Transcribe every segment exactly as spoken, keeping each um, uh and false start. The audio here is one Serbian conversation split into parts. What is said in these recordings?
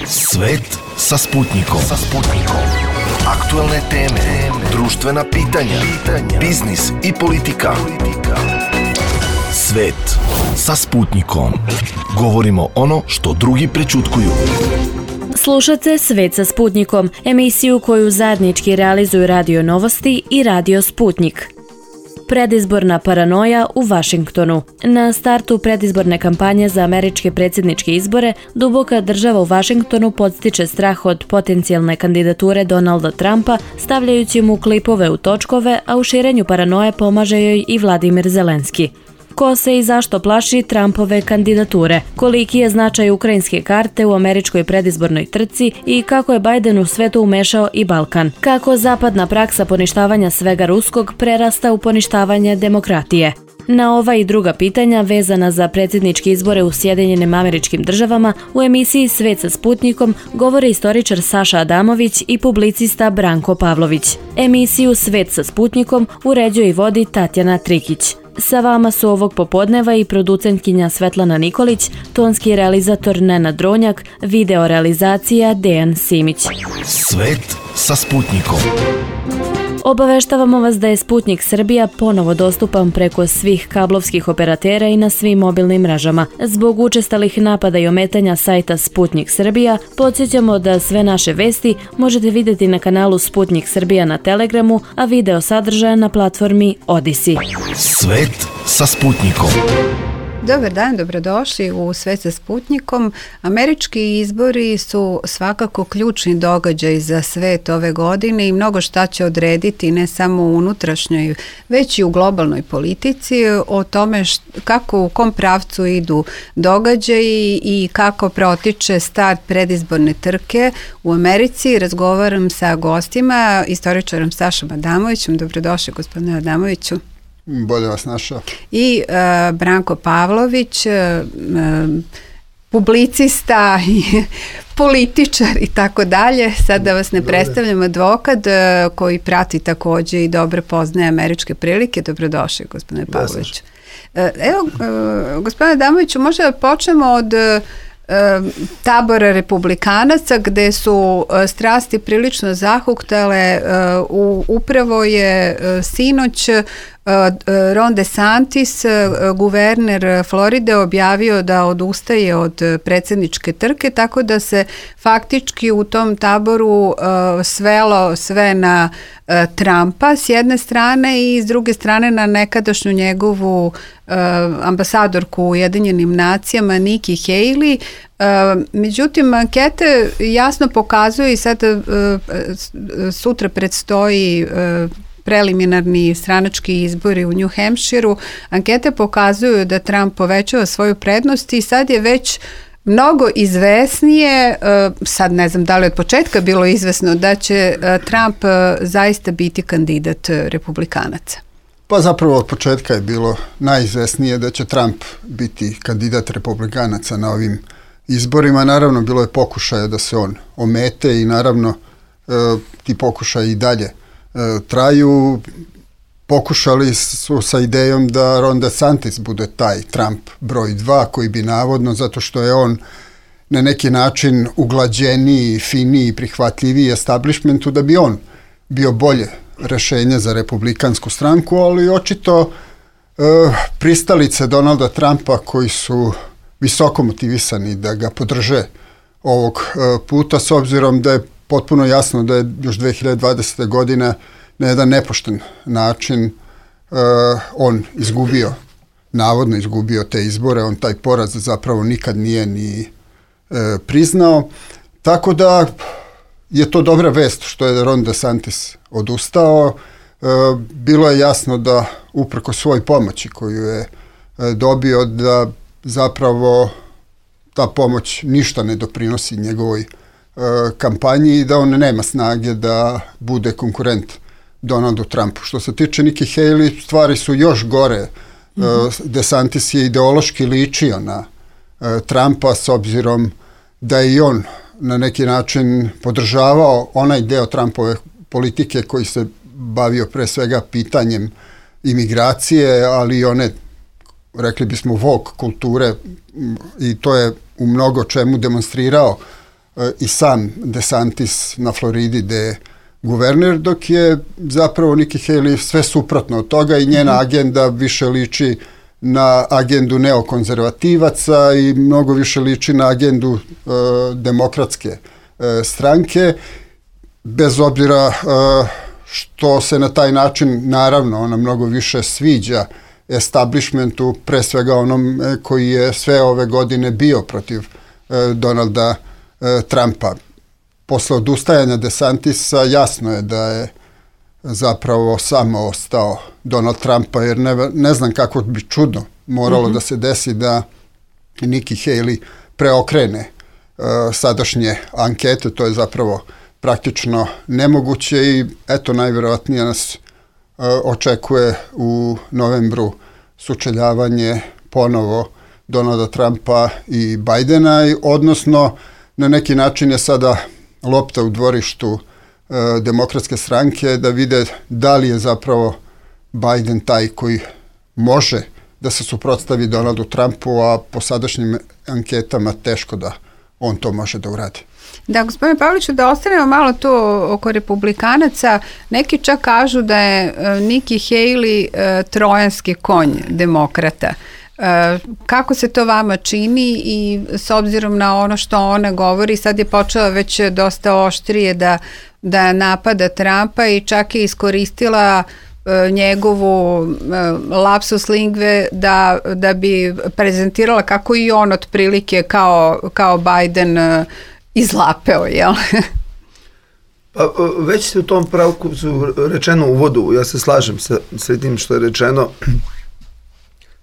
Svet sa Sputnikom. Sa Sputnikom. Aktuelne teme, društvena pitanja, biznis i politika. Svet sa Sputnikom. Govorimo ono što drugi prećutkuju. Slušate Svet sa Sputnikom, emisiju koju zajednički realizuju Radio Novosti i Radio Sputnik. Predizborna paranoja u Vašingtonu. Na startu predizborne kampanje za američke predsjedničke izbore, duboka država u Vašingtonu podstiče strah od potencijalne kandidature Donalda Trumpa, stavljajući mu klipove u točkove, a u širenju paranoje pomaže joj i Vladimir Zelenski. Ko se i zašto plaši Trumpove kandidature? Koliki je značaj ukrajinske karte u američkoj predizbornoj trci i kako je Biden u svetu umešao i Balkan? Kako zapadna praksa poništavanja svega ruskog prerasta u poništavanje demokratije? Na ova i druga pitanja vezana za predsjedničke izbore u Sjedinjenim Američkim Državama u emisiji Svet sa Sputnikom govore istoričar Saša Adamović i publicista Branko Pavlović. Emisiju Svet sa Sputnikom uređuje i vodi Tatjana Trikić. Sa vama su ovog popodneva i producentkinja Svetlana Nikolić, tonski realizator Nenad Dronjak, video realizacija Dejan Simić. Svet sa Sputnikom. Obaveštavamo vas da je Sputnik Srbija ponovo dostupan preko svih kablovskih operatera i na svim mobilnim mrežama. Zbog učestalih napada i ometanja sajta Sputnik Srbija, podsjećamo da sve naše vesti možete vidjeti na kanalu Sputnik Srbija na Telegramu, a video sadržaja na platformi Odisi. Svet sa Sputnikom. Dobar dan, dobrodošli u Svet sa Sputnikom. Američki izbori su svakako ključni događaj za svet ove godine i mnogo šta će odrediti ne samo u unutrašnjoj, već i u globalnoj politici, o tome št, kako u kom pravcu idu događaji i kako protiče start predizborne trke u Americi. Razgovaram sa gostima, istoričarom Sašom Adamovićem. Dobrodošli, gospodine Adamoviću. Bolje vas našao. I uh, Branko Pavlović, uh, uh, publicista i političar i tako dalje. Sad da vas ne Dobre. predstavljam, advokat uh, koji prati također i dobro poznaje američke prilike. Dobrodošli, gospodine Pavlović. Uh, evo, uh, gospodine Adamoviću, možda počnemo od uh, tabora republikanaca gde su strasti prilično zahuktale. Uh, upravo je uh, sinoć Ron DeSantis, guverner Floride, objavio da odustaje od predsjedničke trke, tako da se faktički u tom taboru uh, svelo sve na uh, Trumpa s jedne strane i s druge strane na nekadašnju njegovu uh, ambasadorku u Ujedinjenim nacijama Nikki Haley. Uh, međutim, ankete jasno pokazuju i sad uh, sutra predstoji uh, preliminarni stranački izbori u New Hampshireu. Ankete pokazuju da Trump povećava svoju prednost i sad je već mnogo izvesnije, sad ne znam da li od početka bilo izvesno da će Trump zaista biti kandidat republikanaca. Pa zapravo od početka je bilo najizvesnije da će Trump biti kandidat republikanaca na ovim izborima. Naravno, bilo je pokušaja da se on omete i naravno ti pokušaji i dalje traju. Pokušali su sa idejom da Ron DeSantis bude taj Trump broj dva, koji bi navodno, zato što je on na neki način uglađeniji, finiji, prihvatljiviji establishmentu, da bi on bio bolje rešenje za republikansku stranku, ali očito e, pristalice Donalda Trumpa koji su visoko motivisani da ga podrže ovog e, puta, s obzirom da je potpuno jasno da je još dve hiljade dvadesete. godine na jedan nepošten način uh, on izgubio, navodno izgubio te izbore, on taj poraz zapravo nikad nije ni uh, priznao, tako da je to dobra vest što je Ron DeSantis odustao. Uh, bilo je jasno da upreko svoj pomoći koju je uh, dobio, da zapravo ta pomoć ništa ne doprinosi njegovoj kampanji i da on nema snage da bude konkurent Donaldu Trumpu. Što se tiče Nikki Haley, stvari su još gore. Mm-hmm. DeSantis je ideološki ličio na uh, Trumpa, s obzirom da je i on na neki način podržavao onaj deo Trumpove politike koji se bavio pre svega pitanjem imigracije, ali i one, rekli bismo, woke kulture, i to je u mnogo čemu demonstrirao i sam DeSantis na Floridi gde je guverner, dok je zapravo Nikki Haley sve suprotno od toga i njena agenda više liči na agendu neokonzervativaca i mnogo više liči na agendu uh, demokratske uh, stranke, bez obzira uh, što se na taj način, naravno, ona mnogo više sviđa establishmentu, pre svega onom koji je sve ove godine bio protiv uh, Donalda uh, Trumpa. Posle odustajanja DeSantisa jasno je da je zapravo samo ostao Donald Trumpa, jer ne, ne znam kako bi čudno moralo mm-hmm. da se desi da Nikki Haley preokrene uh, sadašnje ankete, to je zapravo praktično nemoguće i eto najvjerovatnije nas uh, očekuje u novembru sučeljavanje ponovo Donalda Trumpa i Bidena, odnosno na neki način je sada lopta u dvorištu e, demokratske stranke da vide da li je zapravo Biden taj koji može da se suprotstavi Donaldu Trumpu, a po sadašnjim anketama teško da on to može da uradi. Da, gospodine Pavliću, da ostanemo malo to oko republikanaca. Neki čak kažu da je Nikki Haley e, trojanski konj demokrata. E, kako se to vama čini i s obzirom na ono što ona govori, sad je počela već dosta oštrije da, da napada Trumpa i čak je iskoristila e, njegovu e, lapsus lingve da, da bi prezentirala kako i on otprilike kao, kao Biden e, izlapeo, jel? Pa, već se u tom pravku su rečeno u uvodu, ja se slažem sa tim što je rečeno.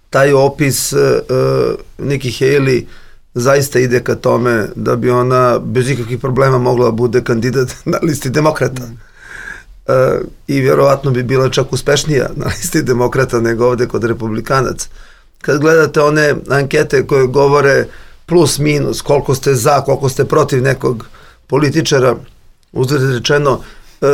Taj opis uh, Nikki Haley zaista ide ka tome da bi ona bez ikakvih problema mogla bude kandidat na listi demokrata. Mm. Uh, I vjerovatno bi bila čak uspešnija na listi demokrata nego ovde kod republikanaca. Kad gledate one ankete koje govore plus minus, koliko ste za, koliko ste protiv nekog političara, uzgled rečeno, uh, uh,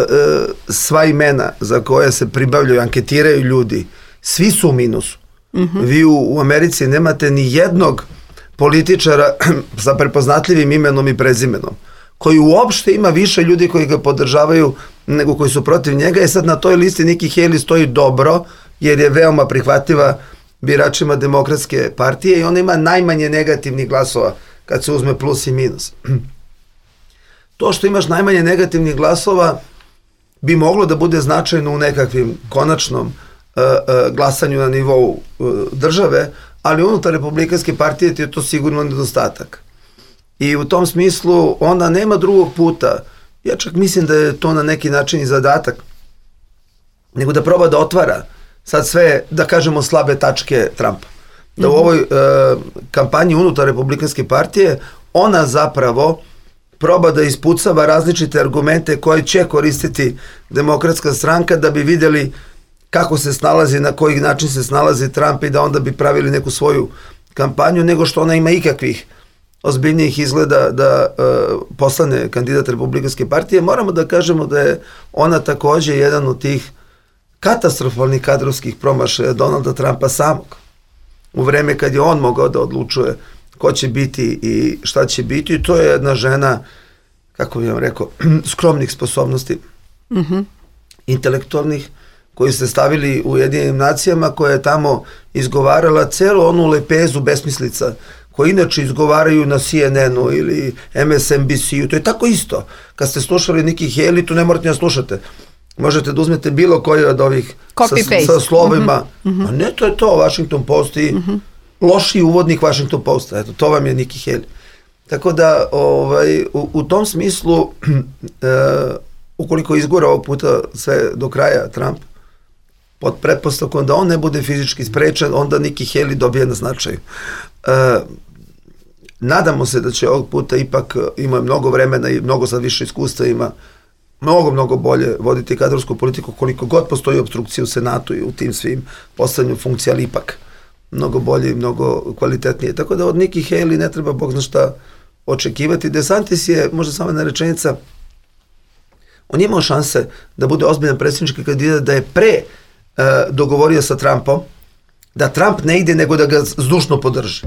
sva imena za koje se pribavljaju, anketiraju ljudi, svi su u minusu. Mm-hmm. Vi u, u Americi nemate ni jednog političara sa prepoznatljivim imenom i prezimenom, koji uopšte ima više ljudi koji ga podržavaju nego koji su protiv njega. I sad na toj listi Nikki Haley stoji dobro, jer je veoma prihvatljiva biračima demokratske partije i ona ima najmanje negativnih glasova kad se uzme plus i minus. To što imaš najmanje negativnih glasova bi moglo da bude značajno u nekakvim konačnom glasanju na nivou države, ali unutar republikanske partije ti je to sigurno nedostatak. I u tom smislu ona nema drugog puta, ja čak mislim da je to na neki način i zadatak, nego da proba da otvara sad sve, da kažemo, slabe tačke Trumpa. Da u ovoj uh, kampanji unutar republikanske partije ona zapravo proba da ispucava različite argumente koje će koristiti demokratska stranka da bi vidjeli kako se snalazi, na koji način se snalazi Trump i da onda bi pravili neku svoju kampanju, nego što ona ima ikakvih ozbiljnijih izgleda da uh, postane kandidat republikanske partije. Moramo da kažemo da je ona takođe jedan od tih katastrofalnih kadrovskih promašaja Donalda Trumpa samog. U vreme kad je on mogao da odlučuje ko će biti i šta će biti, i to je jedna žena, kako bih vam rekao, skromnih sposobnosti, mm-hmm. intelektualnih, koji ste stavili u Ujedinjenim nacijama, koja je tamo izgovarala celu onu lepezu besmislica, koji inače izgovaraju na C N N-u ili M S N B C-u. To je tako isto. Kad ste slušali Nikki Haley, to ne morate da slušate. Možete da uzmete bilo koji od ovih sa, sa slovima. Mm-hmm. A ne, to je to, Washington Post i mm-hmm. loši uvodnik Washington Posta. Eto, to vam je Nikki Haley. Tako da, ovaj, u, u tom smislu, e, ukoliko izgora ovog puta sve do kraja Trump, pod pretpostavkom da on ne bude fizički sprečen, onda Nikki Haley dobije na značaju. E, nadamo se da će ovog puta ipak, ima mnogo vremena i mnogo sad više iskustva, ima mnogo, mnogo bolje voditi kadrovsku politiku, koliko god postoji obstrukcija u Senatu i u tim svim postavljanju funkcija, ali ipak mnogo bolje i mnogo kvalitetnije. Tako da od Nikki Haley ne treba bog zna šta očekivati. DeSantis je, možda samo jedna rečenica, on je imao šanse da bude ozbiljan predsjednički kandidat, da je pre uh, dogovorio sa Trumpom da Trump ne ide nego da ga zdušno podrži.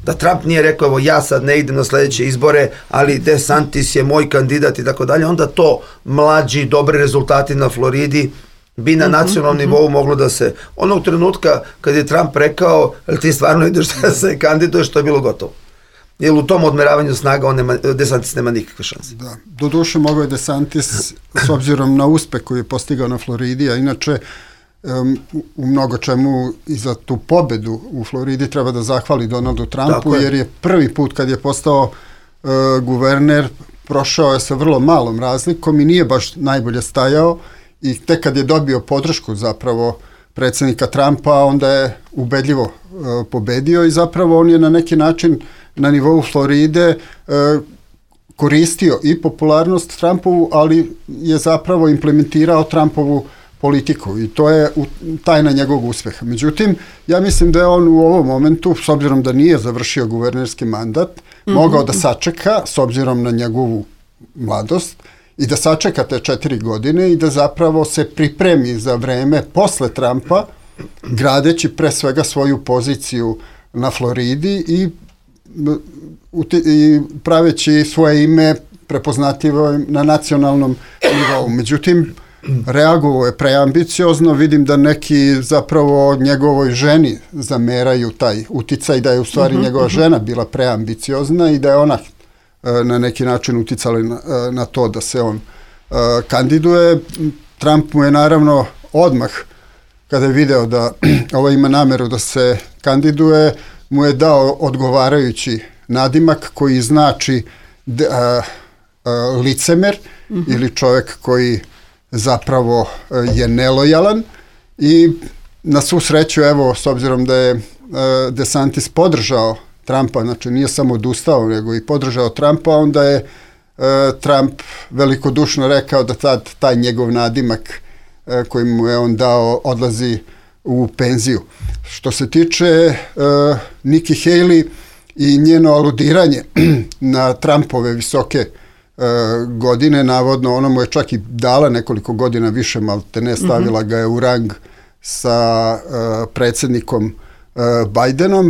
da Trump nije rekao evo ja sad ne idem na sledeće izbore, ali DeSantis je moj kandidat i tako dalje, onda to mlađi, dobri rezultati na Floridi bi na nacionalnom uh-huh, nivou uh-huh. moglo da se, onog trenutka kad je Trump rekao, ali ti stvarno ideš da se kandiduješ, to je bilo gotovo. Jer u tom odmeravanju snaga on nema, DeSantis nema nikakve šanse. Da. Doduše mogao je DeSantis s obzirom na uspeh koji je postigao na Floridi, a inače um, u mnogo čemu i za tu pobedu u Floridi treba da zahvali Donaldu Trumpu, je. jer je prvi put kad je postao uh, guverner prošao je sa vrlo malom razlikom i nije baš najbolje stajao i tek kad je dobio podršku zapravo predsjednika Trumpa, onda je ubedljivo uh, pobedio i zapravo on je na neki način na nivou Floride e, koristio i popularnost Trumpovu, ali je zapravo implementirao Trumpovu politiku i to je u, tajna njegovog uspeha. Međutim, ja mislim da je on u ovom momentu, s obzirom da nije završio guvernerski mandat, mm-hmm. mogao da sačeka, s obzirom na njegovu mladost, i da sačeka te četiri godine i da zapravo se pripremi za vreme posle Trumpa, gradeći pre svega svoju poziciju na Floridi i i praveći svoje ime prepoznatljivo na nacionalnom nivou. Međutim, reagovao je preambiciozno, vidim da neki zapravo njegovoj ženi zameraju taj uticaj, da je u stvari uh-huh, njegova uh-huh. žena bila preambiciozna i da je ona na neki način uticala na, na to da se on uh, kandiduje. Trump mu je naravno odmah, kada je video da ovo ima nameru da se kandiduje, mu je dao odgovarajući nadimak koji znači d, a, a, licemer mm-hmm. ili čovjek koji zapravo a, je nelojalan i na svu sreću, evo, s obzirom da je a, DeSantis podržao Trumpa, znači nije samo odustao, nego i podržao Trumpa, onda je a, Trump velikodušno rekao da tad taj njegov nadimak a, koji mu je on dao odlazi u penziju. Što se tiče uh, Nikki Haley i njeno aludiranje na Trumpove visoke uh, godine, navodno ona mu je čak i dala nekoliko godina više, malte ne stavila mm-hmm. ga je u rang sa uh, predsjednikom uh, Bidenom,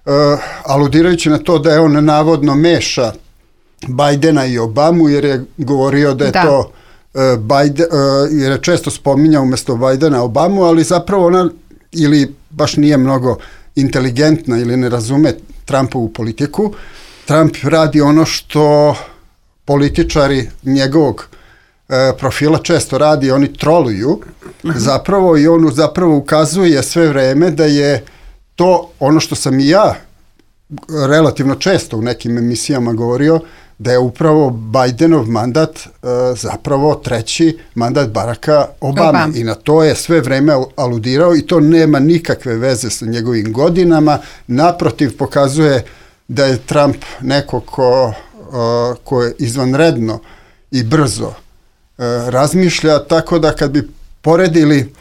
uh, aludirajući na to da je on navodno meša Bidena i Obamu, jer je govorio da je da. to uh, Biden, uh, jer je često spominjao umjesto Bidena Obamu, ali zapravo ona ili baš nije mnogo inteligentna ili ne razume Trumpovu politiku. Trump radi ono što političari njegovog e, profila često radi, oni troluju zapravo i on zapravo ukazuje sve vreme da je to ono što sam i ja relativno često u nekim emisijama govorio, da je upravo Bidenov mandat uh, zapravo treći mandat Baracka Obame. Obama. I na to je sve vreme aludirao i to nema nikakve veze sa njegovim godinama. Naprotiv, pokazuje da je Trump neko ko, uh, ko je izvanredno i brzo uh, razmišlja, tako da kad bi poredili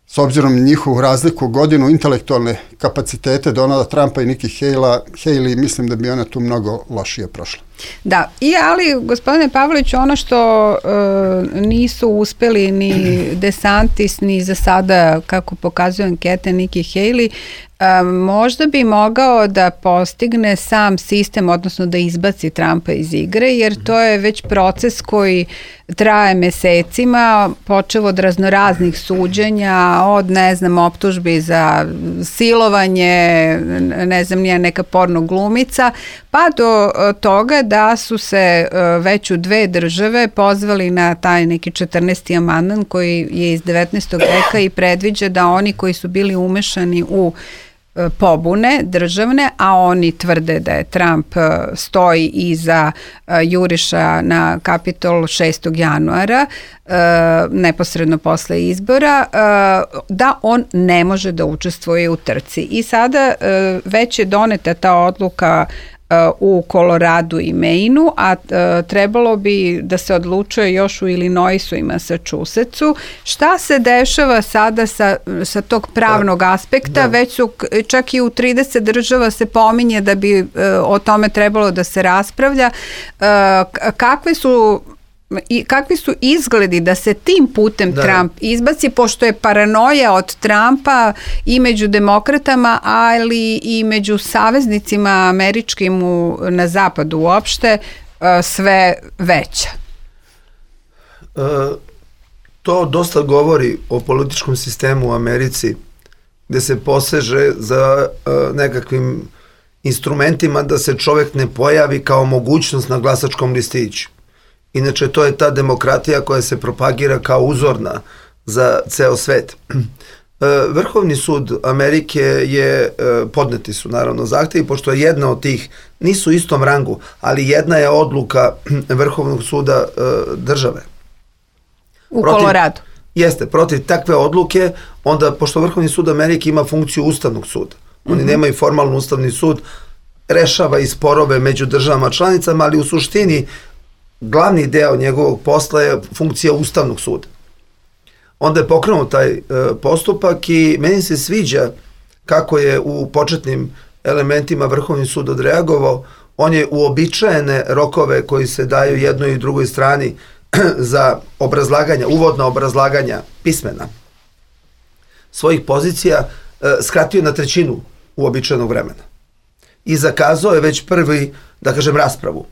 s obzirom na njihovu razliku godinu intelektualne kapacitete Donalda Trumpa i Nikki Haley, Haley, mislim da bi ona tu mnogo lošije prošla. Da, i ali gospodine Pavlović, ono što e, nisu uspeli ni DeSantis, ni za sada, kako pokazuju ankete, Nikki Haley, e, možda bi mogao da postigne sam sistem, odnosno da izbaci Trumpa iz igre, jer to je već proces koji traje mesecima, počeo od raznoraznih suđenja, od, ne znam, optužbi za silovanje, ne znam, nije neka porno glumica, pa do toga da su se već u dve države pozvali na taj neki četrnaesti amandman koji je iz devetnaestog veka i predviđa da oni koji su bili umešani u pobune državne, a oni tvrde da je Trump stoji iza juriša na Kapitol šestog januara, neposredno posle izbora, da on ne može da učestvuje u trci. I sada već je doneta ta odluka u Koloradu i Mainu, a trebalo bi da se odlučuje još u Illinoisu i Massachusettsu. Šta se dešava sada sa, sa tog pravnog aspekta? Da. Već su, čak i u trideset država se pominje da bi o tome trebalo da se raspravlja. Kakve su i kakvi su izgledi da se tim putem da. Trump izbaci, pošto je paranoja od Trumpa i među demokratama, ali i među saveznicima američkim u, na zapadu uopšte sve veća. E, to dosta govori o političkom sistemu u Americi, gde se poseže za e, nekakvim instrumentima da se čovjek ne pojavi kao mogućnost na glasačkom listiću. Inače, to je ta demokratija koja se propagira kao uzorna za ceo svet. Vrhovni sud Amerike je, podneti su naravno zahtevi, pošto je jedna od tih, nisu u istom rangu, ali jedna je odluka Vrhovnog suda države. U Koloradu. Jeste, protiv takve odluke, onda, pošto Vrhovni sud Amerike ima funkciju Ustavnog suda, oni mm-hmm. nemaju formalno Ustavni sud, rešava i sporove među državama članicama, ali u suštini glavni deo njegovog posla je funkcija Ustavnog suda. Onda je pokrenut taj e, postupak i meni se sviđa kako je u početnim elementima Vrhovni sud odreagovao. On je uobičajene rokove koji se daju jednoj i drugoj strani za obrazlaganja, uvodna obrazlaganja pismena svojih pozicija e, skratio na trećinu uobičajenog vremena. I zakazao je već prvi, da kažem, raspravu.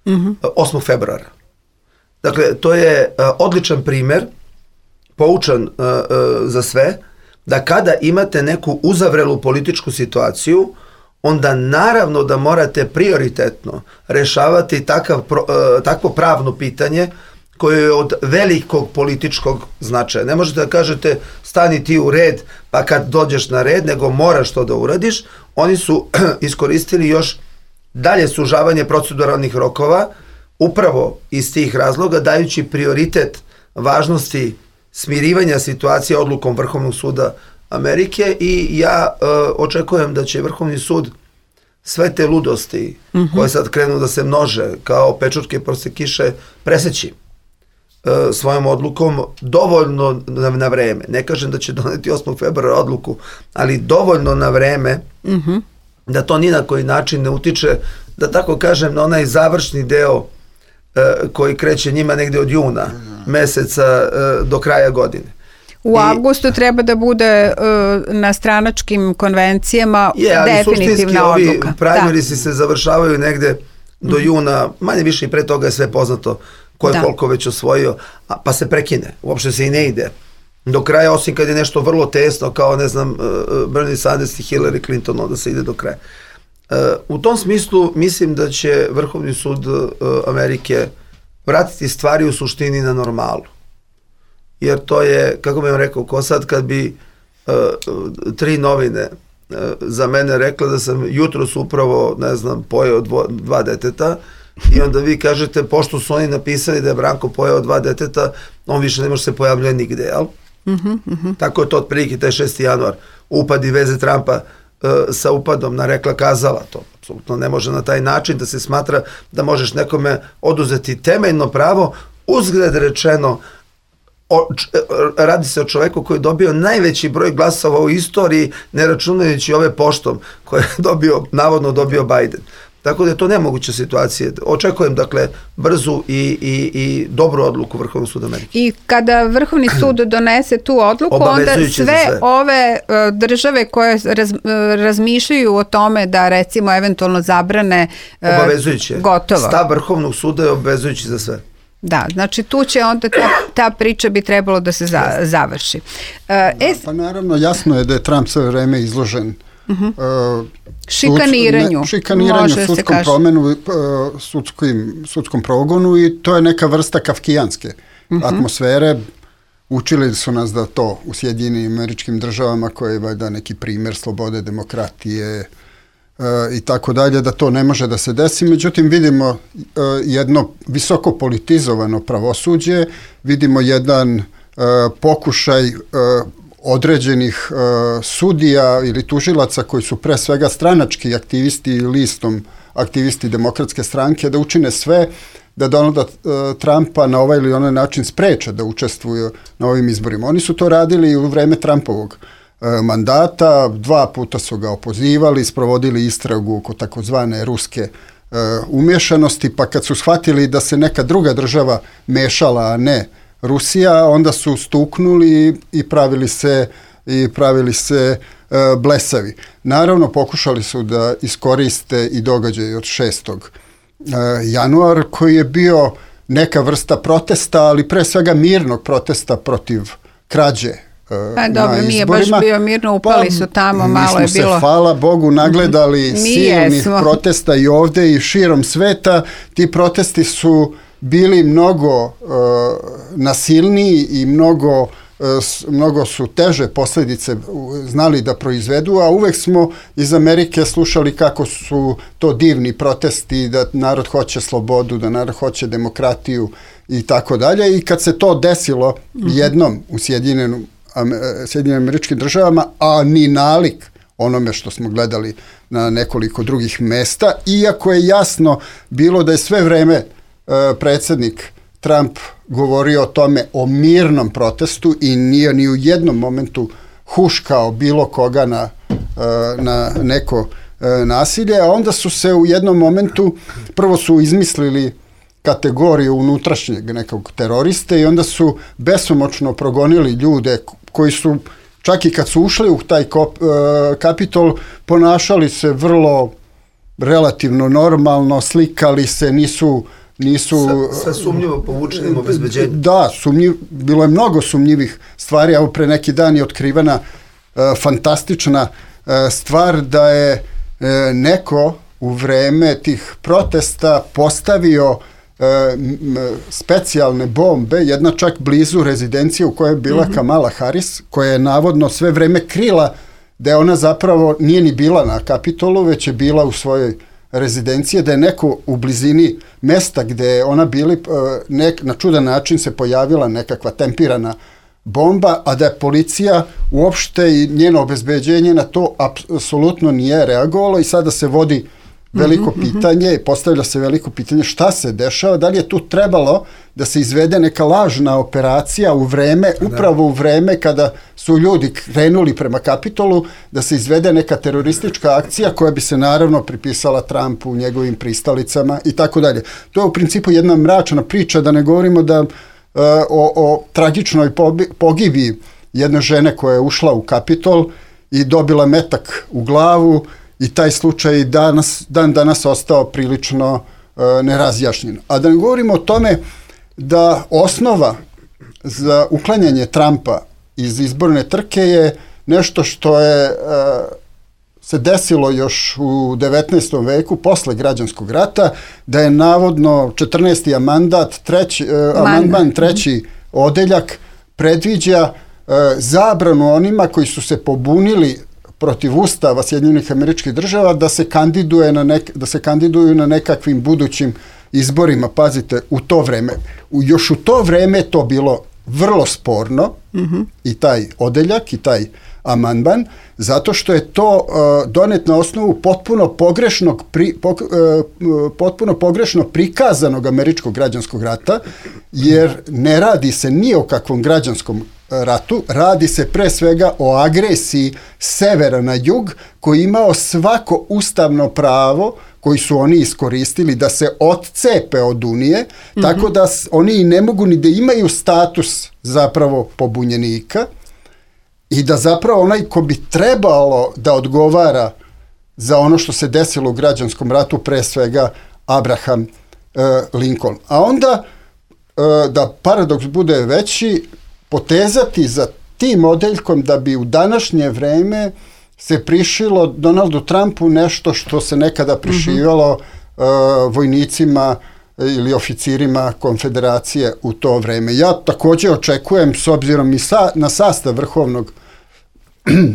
Mm-hmm. osmog februara. Dakle, to je uh, odličan primer, poučan uh, uh, za sve, da kada imate neku uzavrelu političku situaciju, onda naravno da morate prioritetno rešavati takav, uh, takvo pravno pitanje koje je od velikog političkog značaja. Ne možete da kažete stani ti u red pa kad dođeš na red, nego moraš to da uradiš. Oni su iskoristili još dalje sužavanje proceduralnih rokova, upravo iz tih razloga, dajući prioritet važnosti smirivanja situacije odlukom Vrhovnog suda Amerike i ja e, očekujem da će Vrhovni sud sve te ludosti mm-hmm. koje sad krenu da se množe kao pečurke posle kiše preseći e, svojom odlukom dovoljno na, na vreme. Ne kažem da će doneti osmog februara odluku, ali dovoljno na vreme mm-hmm. da to ni na koji način ne utiče, da tako kažem, na onaj završni deo e, koji kreće njima negde od juna meseca e, do kraja godine. U I, avgustu treba da bude e, na stranačkim konvencijama je, ali definitivna odluka. Ovi primarisi se završavaju negde do mm. juna, manje više i pre toga je sve poznato ko je da. koliko već osvojio, a, pa se prekine, uopšte se i ne ide do kraja, osim kad je nešto vrlo tesno, kao, ne znam, Bernie Sanders i Hillary Clinton, onda se ide do kraja. U tom smislu mislim da će Vrhovni sud Amerike vratiti stvari u suštini na normalu. Jer to je, kako bih vam rekao, ko sad kad bi uh, tri novine uh, za mene rekla da sam jutros upravo, ne znam, pojeo dvo, dva deteta i onda vi kažete, pošto su oni napisali da je Branko pojeo dva deteta, on više ne može se pojavljati nigde, jel? Uh-huh, uh-huh. Tako je to otprilike taj šesti januar, upad i veze Trumpa uh, sa upadom na rekla kazala, to apsolutno ne može na taj način da se smatra da možeš nekome oduzeti temeljno pravo, uzgled rečeno, o, č, radi se o čoveku koji je dobio najveći broj glasova u istoriji, ne računajući ove poštom koje je dobio, navodno dobio Biden. Tako da je to nemoguća situacija. Očekujem, dakle, brzu i, i, i dobru odluku Vrhovnog suda Amerike. I kada Vrhovni sud donese tu odluku, onda sve, sve ove uh, države koje raz, uh, razmišljaju o tome da, recimo, eventualno zabrane uh, obavezujuće. Gotovo. Stav Vrhovnog suda je obavezujući za sve. Da, znači tu će onda ta, ta priča bi trebalo da se za, završi. Uh, da, es... Pa naravno, jasno je da je Trump sve vreme izložen uh-huh. uh, šikaniranju, ne, šikaniranju sudskom promenu, uh, sudskim, sudskom progonu i to je neka vrsta kafkijanske uh-huh. atmosfere. Učili su nas da to u Sjedinjenim Američkim Državama, koje je valjda neki primjer slobode, demokratije uh, i tako dalje, da to ne može da se desi. Međutim, vidimo uh, jedno visoko politizovano pravosuđe, vidimo jedan uh, pokušaj uh, određenih uh, sudija ili tužilaca koji su pre svega stranački aktivisti i listom aktivisti Demokratske stranke da učine sve da Donalda uh, Trumpa na ovaj ili onaj način spreče da učestvuju na ovim izborima. Oni su to radili i u vreme Trumpovog uh, mandata, dva puta su ga opozivali, sprovodili istragu oko takozvane ruske uh, umješanosti, pa kad su shvatili da se neka druga država mešala, a ne Rusija, onda su stuknuli i pravili se i pravili se e, blesavi. Naravno, pokušali su da iskoriste i događaj od šestog januara, koji je bio neka vrsta protesta, ali pre svega mirnog protesta protiv krađe. A dobro, nije baš bio mirno, upali pa, su tamo, malo je bilo. Mi smo se, hvala Bogu, nagledali mm-hmm. silnih protesta i ovde i širom sveta. Ti protesti su bili mnogo uh, nasilniji i mnogo, uh, mnogo su teže posljedice znali da proizvedu, a uvek smo iz Amerike slušali kako su to divni protesti, da narod hoće slobodu, da narod hoće demokratiju i tako dalje. I kad se to desilo mm-hmm. jednom u Sjedinjenim Sjedinjenim Američkim Državama, a ni nalik onome što smo gledali na nekoliko drugih mesta, iako je jasno bilo da je sve vreme e, predsjednik Trump govorio o tome, o mirnom protestu i nije ni u jednom momentu huškao bilo koga na, e, na neko e, nasilje, a onda su se u jednom momentu, prvo su izmislili kategoriju unutrašnjeg nekog teroriste i onda su besomučno progonili ljude koji su, čak i kad su ušli u taj kop, uh, Kapitol, ponašali se vrlo relativno normalno, slikali se, nisu... nisu sa, sa sumnjivo povučenim obezbeđenjem. Da, sumnjiv, bilo je mnogo sumnjivih stvari, evo pre neki dan je otkrivena uh, fantastična uh, stvar da je uh, neko u vreme tih protesta postavio specijalne bombe, jedna čak blizu rezidencije u kojoj je bila mm-hmm. Kamala Harris, koja je navodno sve vreme krila da je ona zapravo nije ni bila na Kapitolu, već je bila u svojoj rezidenciji, da je neko u blizini mesta gde je ona bili, nek, na čudan način se pojavila nekakva tempirana bomba, a da je policija uopšte i njeno obezbeđenje na to apsolutno nije reagovalo i sada se vodi veliko mm-hmm, pitanje, mm-hmm. postavlja se veliko pitanje šta se dešava, da li je tu trebalo da se izvede neka lažna operacija u vreme, upravo u vreme kada su ljudi krenuli prema Kapitolu, da se izvede neka teroristička akcija koja bi se naravno pripisala Trumpu, njegovim pristalicama i tako dalje. To je u principu jedna mračna priča, da ne govorimo da uh, o, o tragičnoj pogibiji jedne žene koja je ušla u Kapitol i dobila metak u glavu. I taj slučaj danas, dan danas ostao prilično e, nerazjašnjen. A da ne govorimo o tome da osnova za uklanjanje Trumpa iz izborne trke je nešto što je e, se desilo još u devetnaestom veku posle građanskog rata, da je navodno četrnaesti amandat, treći, e, amandman treći odeljak predviđa e, zabranu onima koji su se pobunili protiv Ustava Sjedinjenih Američkih Država da se kandiduje na nek, da se kandiduju na nekakvim budućim izborima. Pazite, u to vreme, u, još u to vreme je to bilo vrlo sporno mm-hmm. i taj odeljak i taj amandman, zato što je to uh, donet na osnovu potpuno pogrešnog pri, po, uh, potpuno pogrešno prikazanog američkog građanskog rata, jer ne radi se ni o kakvom građanskom ratu, radi se pre svega o agresiji severa na jug, koji je imao svako ustavno pravo koji su oni iskoristili da se odcepe od Unije, mm-hmm. tako da oni ne mogu ni da imaju status zapravo pobunjenika i da zapravo onaj ko bi trebalo da odgovara za ono što se desilo u građanskom ratu, pre svega Abraham uh, Lincoln. A onda, uh, da paradoks bude veći, potezati za tim odeljkom da bi u današnje vreme se prišilo Donaldu Trumpu nešto što se nekada prišivalo mm-hmm. uh, vojnicima ili oficirima konfederacije u to vreme. Ja također očekujem, s obzirom i sa, na sastav vrhovnog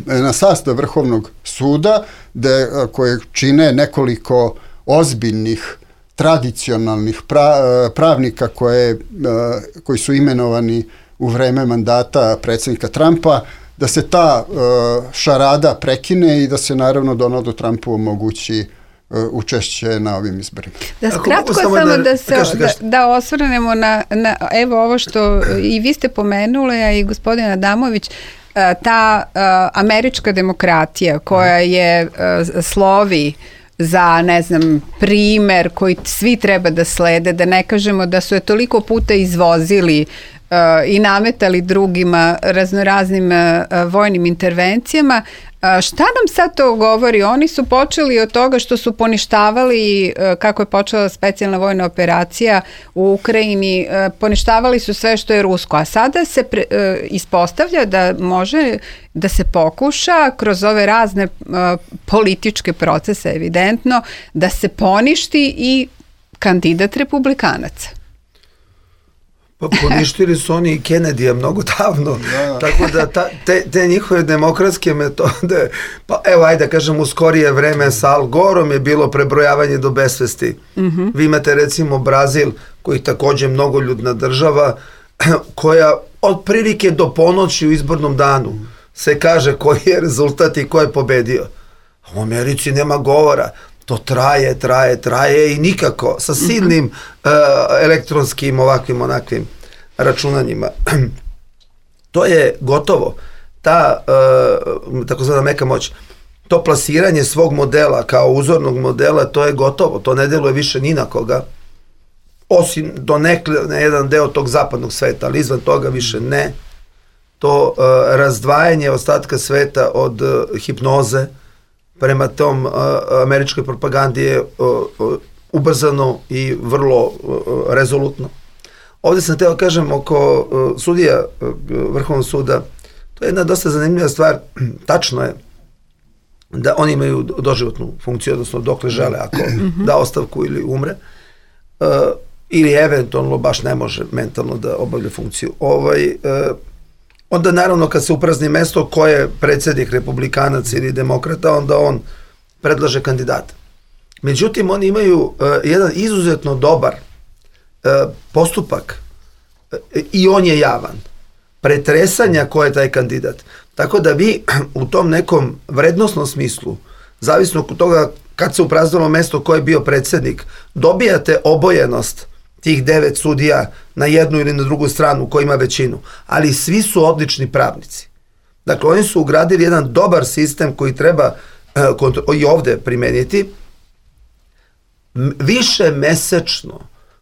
na sastav vrhovnog suda, da, koje čine nekoliko ozbiljnih tradicionalnih pra, pravnika koje, koji su imenovani u vreme mandata predsjednika Trumpa, da se ta uh, šarada prekine i da se naravno Donaldu Trumpu omogući uh, učešće na ovim izborima. Da kratko samo da, da, se, kaži, kaži. da, da osvrnemo na, na evo ovo što i vi ste pomenuli, a i gospodin Adamović, ta uh, američka demokratija koja je uh, slovi za, ne znam, primer koji svi treba da slede, da ne kažemo da su je toliko puta izvozili uh, i nametali drugima raznoraznim uh, vojnim intervencijama. Uh, šta nam sad to govori? Oni su počeli od toga što su poništavali, uh, kako je počela specijalna vojna operacija u Ukrajini, uh, poništavali su sve što je rusko, a sada se pre, uh, ispostavlja da može da se pokuša kroz ove razne uh, političke procese, evidentno, da se poništi i kandidat republikanaca. Pa poništili su oni i Kennedyja mnogo davno, da. Tako da ta, te, te njihove demokratske metode, pa evo ajde da kažem u skorije vreme sa Al Gorom je bilo prebrojavanje do besvesti. Mm-hmm. Vi imate recimo Brazil koji takođe mnogoljudna država koja otprilike do ponoći u izbornom danu se kaže koji je rezultat i ko je pobedio. U Americi nema govora. To traje, traje, traje i nikako sa silnim uh, elektronskim ovakvim onakvim računanjima. To je gotovo. Ta uh, takozvana meka moć, to plasiranje svog modela kao uzornog modela, to je gotovo. To ne deluje više ni na koga. Osim do nekle, na jedan deo tog zapadnog sveta, ali izvan toga više ne. To uh, razdvajanje ostatka sveta od uh, hipnoze prema tom uh, američkoj propagandi je uh, uh, ubrzano i vrlo uh, rezolutno. Ovdje sam teo kažem oko uh, sudija uh, Vrhovnog suda, to je jedna dosta zanimljiva stvar. Tačno je da oni imaju doživotnu funkciju, odnosno dokle žele, ako da ostavku ili umre, uh, ili eventualno baš ne može mentalno da obavlja funkciju. Ovaj, uh, onda naravno kad se uprazni mesto ko je predsjednik republikanac ili demokrata, onda on predlaže kandidata. Međutim, oni imaju uh, jedan izuzetno dobar uh, postupak uh, i on je javan. Pretresanja ko je taj kandidat. Tako da vi u tom nekom vrednosnom smislu, zavisno od toga kad se upraznilo mesto ko je bio predsjednik, dobijate obojenost tih devet sudija na jednu ili na drugu stranu ko ima većinu, ali svi su odlični pravnici. Dakle, oni su ugradili jedan dobar sistem koji treba uh, i ovde primeniti, više mesečno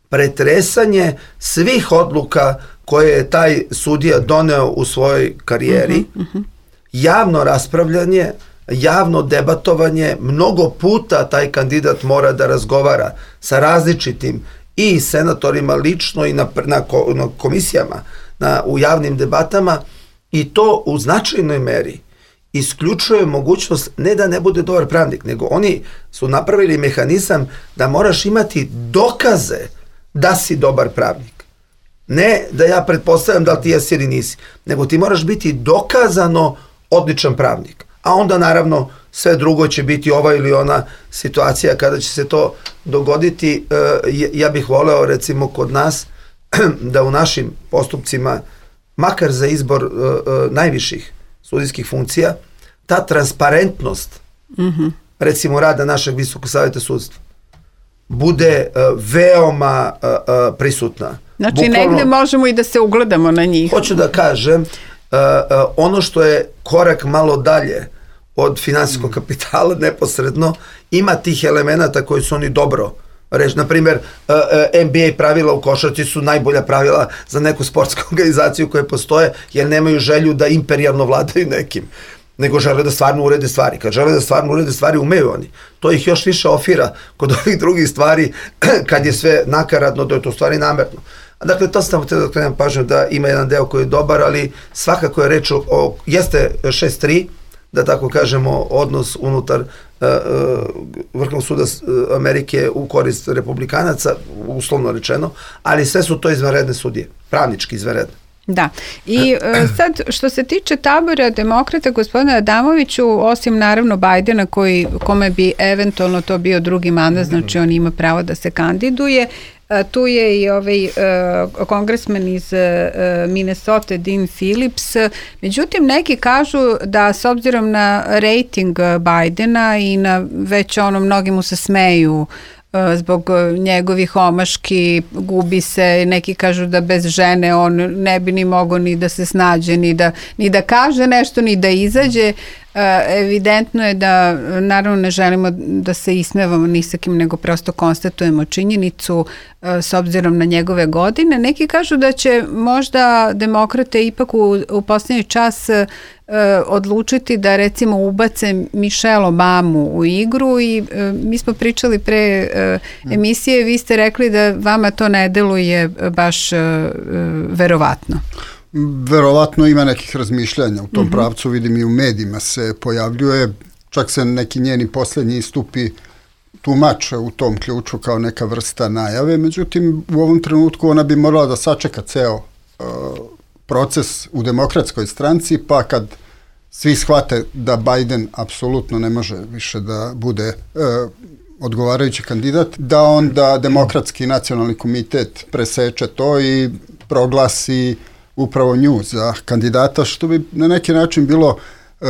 pretresanje svih odluka koje je taj sudija doneo u svojoj karijeri, uh-huh, uh-huh. javno raspravljanje, javno debatovanje, mnogo puta taj kandidat mora da razgovara sa različitim i senatorima lično i na, na, na komisijama, na, u javnim debatama, i to u značajnoj meri isključuje mogućnost ne da ne bude dobar pravnik, nego oni su napravili mehanizam da moraš imati dokaze da si dobar pravnik. Ne da ja pretpostavljam da li ti jesi ili nisi, nego ti moraš biti dokazano odličan pravnik. A onda naravno sve drugo će biti ova ili ona situacija kada će se to dogoditi. Ja bih voleo recimo kod nas da u našim postupcima, makar za izbor najviših sudijskih funkcija, ta transparentnost mm-hmm. recimo rada našeg Visokog saveta sudstva bude veoma prisutna. Znači Bukvalno, negde možemo i da se ugledamo na njih. Hoću da kažem, uh, uh, ono što je korak malo dalje od finansijskog kapitala neposredno, ima tih elemenata koji su oni dobro reći. Naprimjer, uh, uh, N B A pravila u košarci su najbolja pravila za neku sportsku organizaciju koje postoje, jer nemaju želju da imperijalno vladaju nekim, nego žele da stvarno urede stvari. Kad žele da stvarno urede stvari, umeju oni. To ih još više ofira kod ovih drugih stvari, kad je sve nakaradno, da je to stvari namerno. Dakle, to sam htio da krenem pažnju da ima jedan deo koji je dobar, ali svakako je reč o, o jeste šest tri, da tako kažemo, odnos unutar uh, uh, Vrhovnog suda Amerike u korist republikanaca, uslovno rečeno, ali sve su to izvanredne sudije, pravnički izvanredne. Da, i uh, sad što se tiče tabora demokrata, gospodina Adamoviću, osim naravno Bajdena koji, kome bi eventualno to bio drugi mandat, znači on ima pravo da se kandiduje, uh, tu je i ovaj uh, kongresmen iz uh, Minnesota, Dean Phillips. Međutim, neki kažu da s obzirom na rating Bajdena i na već ono, mnogi mu se smeju zbog njegovih omaški, gubi se, neki kažu da bez žene on ne bi ni mogao ni da se snađe, ni da, ni da kaže nešto, ni da izađe. evidentno je da naravno ne želimo da se ismevamo ni sa kim, nego prosto konstatujemo činjenicu s obzirom na njegove godine. Neki kažu da će možda demokrate ipak u, u posljednji čas e, odlučiti da recimo ubace Michelle Obamu u igru i e, mi smo pričali pre e, emisije, vi ste rekli da vama to ne deluje baš e, verovatno. Verovatno ima nekih razmišljanja u tom uh-huh. pravcu, vidim i u medijima se pojavljuje, čak se neki njeni posljednji istupi tumače u tom ključu kao neka vrsta najave, međutim u ovom trenutku ona bi morala da sačeka ceo uh, proces u demokratskoj stranci, pa kad svi shvate da Biden apsolutno ne može više da bude uh, odgovarajući kandidat, da onda demokratski nacionalni komitet preseče to i proglasi upravo nju za kandidata, što bi na neki način bilo e,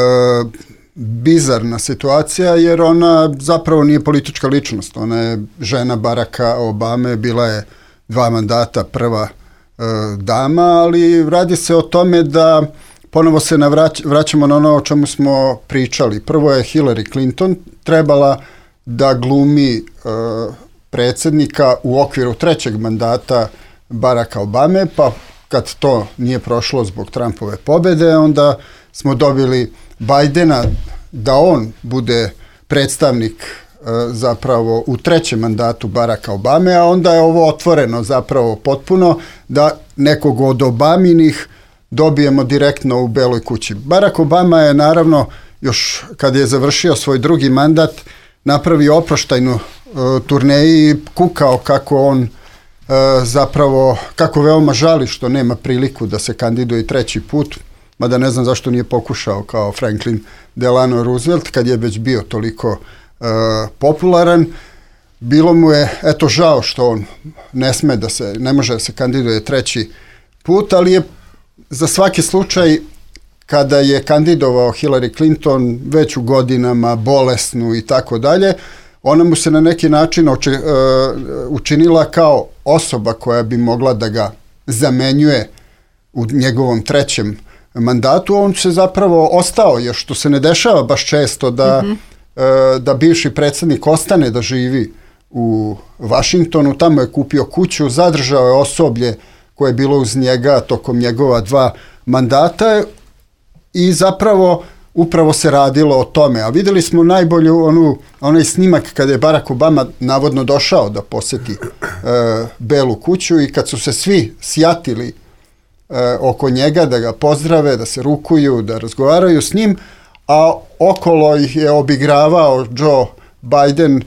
bizarna situacija, jer ona zapravo nije politička ličnost. Ona je žena Baracka Obame, bila je dva mandata prva e, dama, ali radi se o tome da ponovo se navrać, vraćamo na ono o čemu smo pričali. Prvo je Hillary Clinton trebala da glumi e, predsjednika u okviru trećeg mandata Baracka Obame, pa kad to nije prošlo zbog Trumpove pobjede, onda smo dobili Bidena da on bude predstavnik e, zapravo u trećem mandatu Baracka Obame, a onda je ovo otvoreno zapravo potpuno da nekog od Obaminih dobijemo direktno u Beloj kući. Barack Obama je naravno još kad je završio svoj drugi mandat napravio oproštajnu e, turneji i kukao kako on E, zapravo kako veoma žali što nema priliku da se kandiduje treći put, mada ne znam zašto nije pokušao kao Franklin Delano Roosevelt kad je već bio toliko e, popularan. Bilo mu je eto žao što on ne sme da se, ne može da se kandiduje treći put, ali je za svaki slučaj kada je kandidovao Hillary Clinton već u godinama, bolesnu i tako dalje, ona mu se na neki način oči, uh, učinila kao osoba koja bi mogla da ga zamenjuje u njegovom trećem mandatu. On se zapravo ostao, jer što se ne dešava baš često da, mm-hmm. uh, da bivši predsjednik ostane da živi u Vašingtonu. Tamo je kupio kuću, zadržao je osoblje koje je bilo uz njega tokom njegova dva mandata i zapravo upravo se radilo o tome. A vidjeli smo najbolju onu, onaj snimak kada je Barack Obama navodno došao da posjeti e, Belu kuću i kad su se svi sjatili e, oko njega da ga pozdrave, da se rukuju, da razgovaraju s njim, a okolo ih je obigravao Joe Biden, e,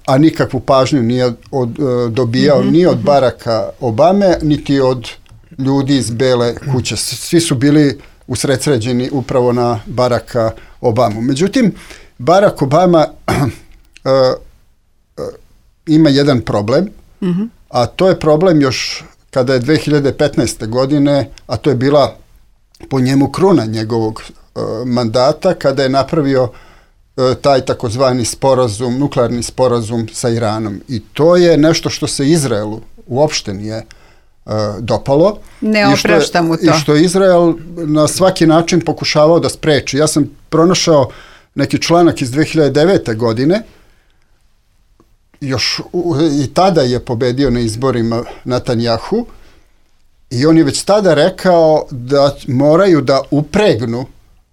a nikakvu pažnju nije od, e, dobijao mm-hmm. ni od Baracka Obame, niti od ljudi iz Bele kuće. Svi su bili usredsređeni upravo na Baracka Obamu. Međutim, Barack Obama uh, uh, ima jedan problem, mm-hmm. a to je problem još kada je dve hiljade petnaeste. godine, a to je bila po njemu kruna njegovog uh, mandata, kada je napravio uh, taj takozvani sporazum, nuklearni sporazum sa Iranom. I to je nešto što se Izraelu uopšte nije Uh, dopalo. Ne oprašta mu to. I što je Izrael na svaki način pokušavao da spreči. Ja sam pronašao neki članak iz dve hiljade devete. godine, još u, i tada je pobedio na izborima Netanjahu i on je već tada rekao da moraju da upregnu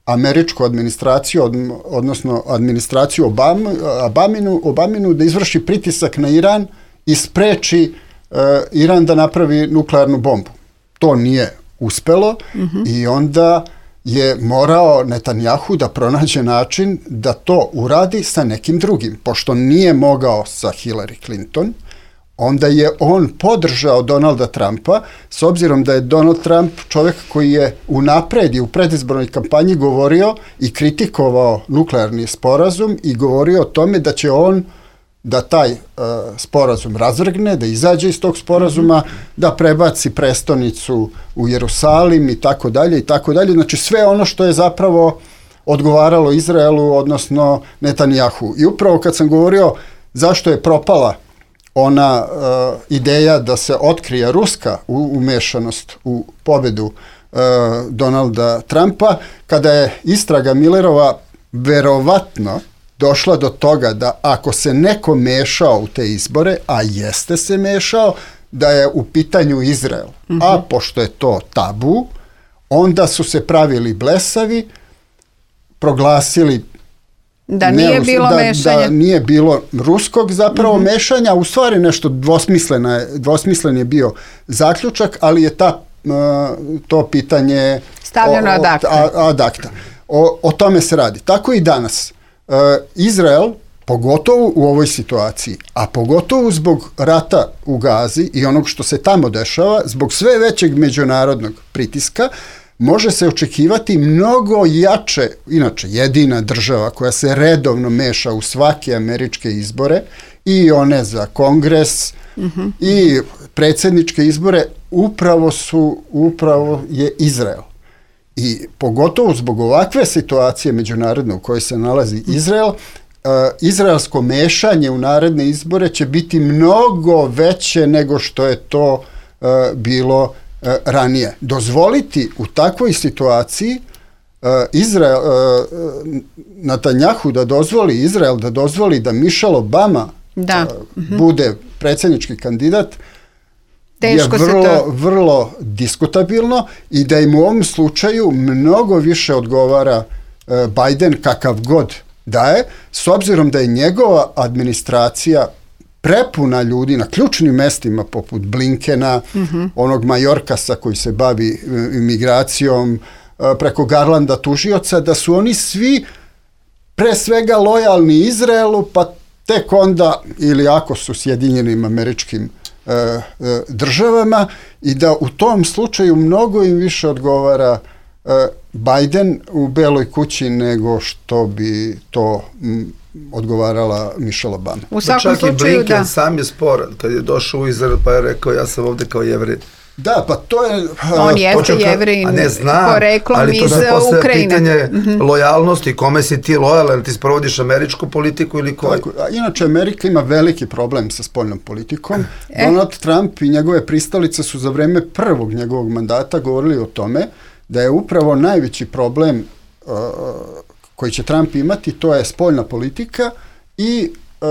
američku administraciju, od, odnosno administraciju Obama, Obaminu, Obaminu da izvrši pritisak na Iran i spreči Uh, Iran da napravi nuklearnu bombu. To nije uspelo mm-hmm. i onda je morao Netanjahu da pronađe način da to uradi sa nekim drugim. Pošto nije mogao sa Hillary Clinton, onda je on podržao Donalda Trumpa, s obzirom da je Donald Trump čovjek koji je unapred i u predizbornoj kampanji govorio i kritikovao nuklearni sporazum i govorio o tome da će on da taj uh, sporazum razvrgne, da izađe iz tog sporazuma, mm-hmm. da prebaci prestonicu u Jerusalim i tako dalje i tako dalje. Znači sve ono što je zapravo odgovaralo Izraelu, odnosno Netanjahu. I upravo kad sam govorio zašto je propala ona uh, ideja da se otkrije ruska umešanost u pobjedu uh, Donalda Trumpa, kada je istraga Millerova verovatno došla do toga da ako se neko mešao u te izbore, a jeste se mešao, da je u pitanju Izrael. Mm-hmm. A pošto je to tabu, onda su se pravili blesavi, proglasili da nije ne, bilo da, mešanja. Da nije bilo ruskog zapravo mm-hmm. mešanja, u stvari nešto dvosmisleno, dvosmislen je bio zaključak, ali je ta, uh, to pitanje stavljeno ad acta. Ad acta. O, o tome se radi. Tako i danas. Uh, Izrael, pogotovo u ovoj situaciji, a pogotovo zbog rata u Gazi i onog što se tamo dešava, zbog sve većeg međunarodnog pritiska, može se očekivati mnogo jače, inače jedina država koja se redovno meša u svake američke izbore, i one za kongres, mm-hmm. i predsjedničke izbore, upravo su, upravo je Izrael. I pogotovo zbog ovakve situacije međunarodne u kojoj se nalazi Izrael, uh, izraelsko mešanje u naredne izbore će biti mnogo veće nego što je to uh, bilo uh, ranije. Dozvoliti u takvoj situaciji uh, Izrael, uh, Netanjahu da dozvoli, Izrael da dozvoli da Michelle Obama da. Uh, mm-hmm. bude predsjednički kandidat, teško je vrlo, se to... vrlo diskutabilno, i da im u ovom slučaju mnogo više odgovara uh, Biden kakav god daje, s obzirom da je njegova administracija prepuna ljudi na ključnim mestima poput Blinkena, mm-hmm. onog Majorkasa koji se bavi uh, imigracijom, uh, preko Garlanda tužioca, da su oni svi pre svega lojalni Izraelu, pa tek onda, ili ako su Sjedinjenim Američkim državama, i da u tom slučaju mnogo im više odgovara Biden u Beloj kući nego što bi to odgovarala Michelle Obama. U svakom čak slučaju, i Blinken da. sam je sporan, kad je došao u Izrael pa je rekao ja sam ovde kao Jevrej. Da, pa to je... On jeste Jevrin, poreklom iz Ukrajine. Pitanje mm-hmm. lojalnosti, kome si ti lojalan, ti sprovodiš američku politiku ili koju? Tako, a inače Amerika ima veliki problem sa spoljnom politikom. E. Donald Trump i njegove pristalice su za vreme prvog njegovog mandata govorili o tome da je upravo najveći problem uh, koji će Trump imati, to je spoljna politika i uh,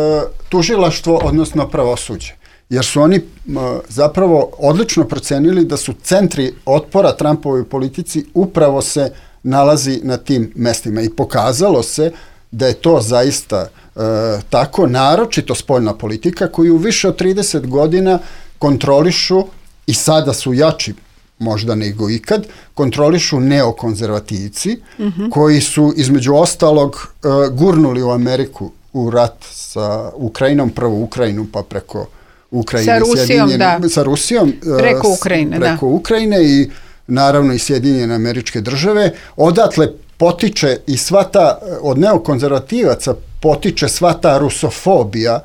tužilaštvo, odnosno pravosuđe. Jer su oni uh, zapravo odlično procenili da su centri otpora Trumpovoj politici upravo se nalazi na tim mestima. I pokazalo se da je to zaista uh, tako, naročito spoljna politika koju više od trideset godina kontrolišu, i sada su jači možda nego ikad, kontrolišu neokonzervativci, mm-hmm. koji su između ostalog uh, gurnuli u Ameriku u rat sa Ukrajinom, prvo Ukrajinu pa preko Ukrajine, sa Rusijom, da. Sa Rusijom, preko Ukrajine, preko da. Ukrajine i naravno i Sjedinjene Američke Države. Odatle potiče i sva ta, od neokonzervativaca potiče sva ta rusofobija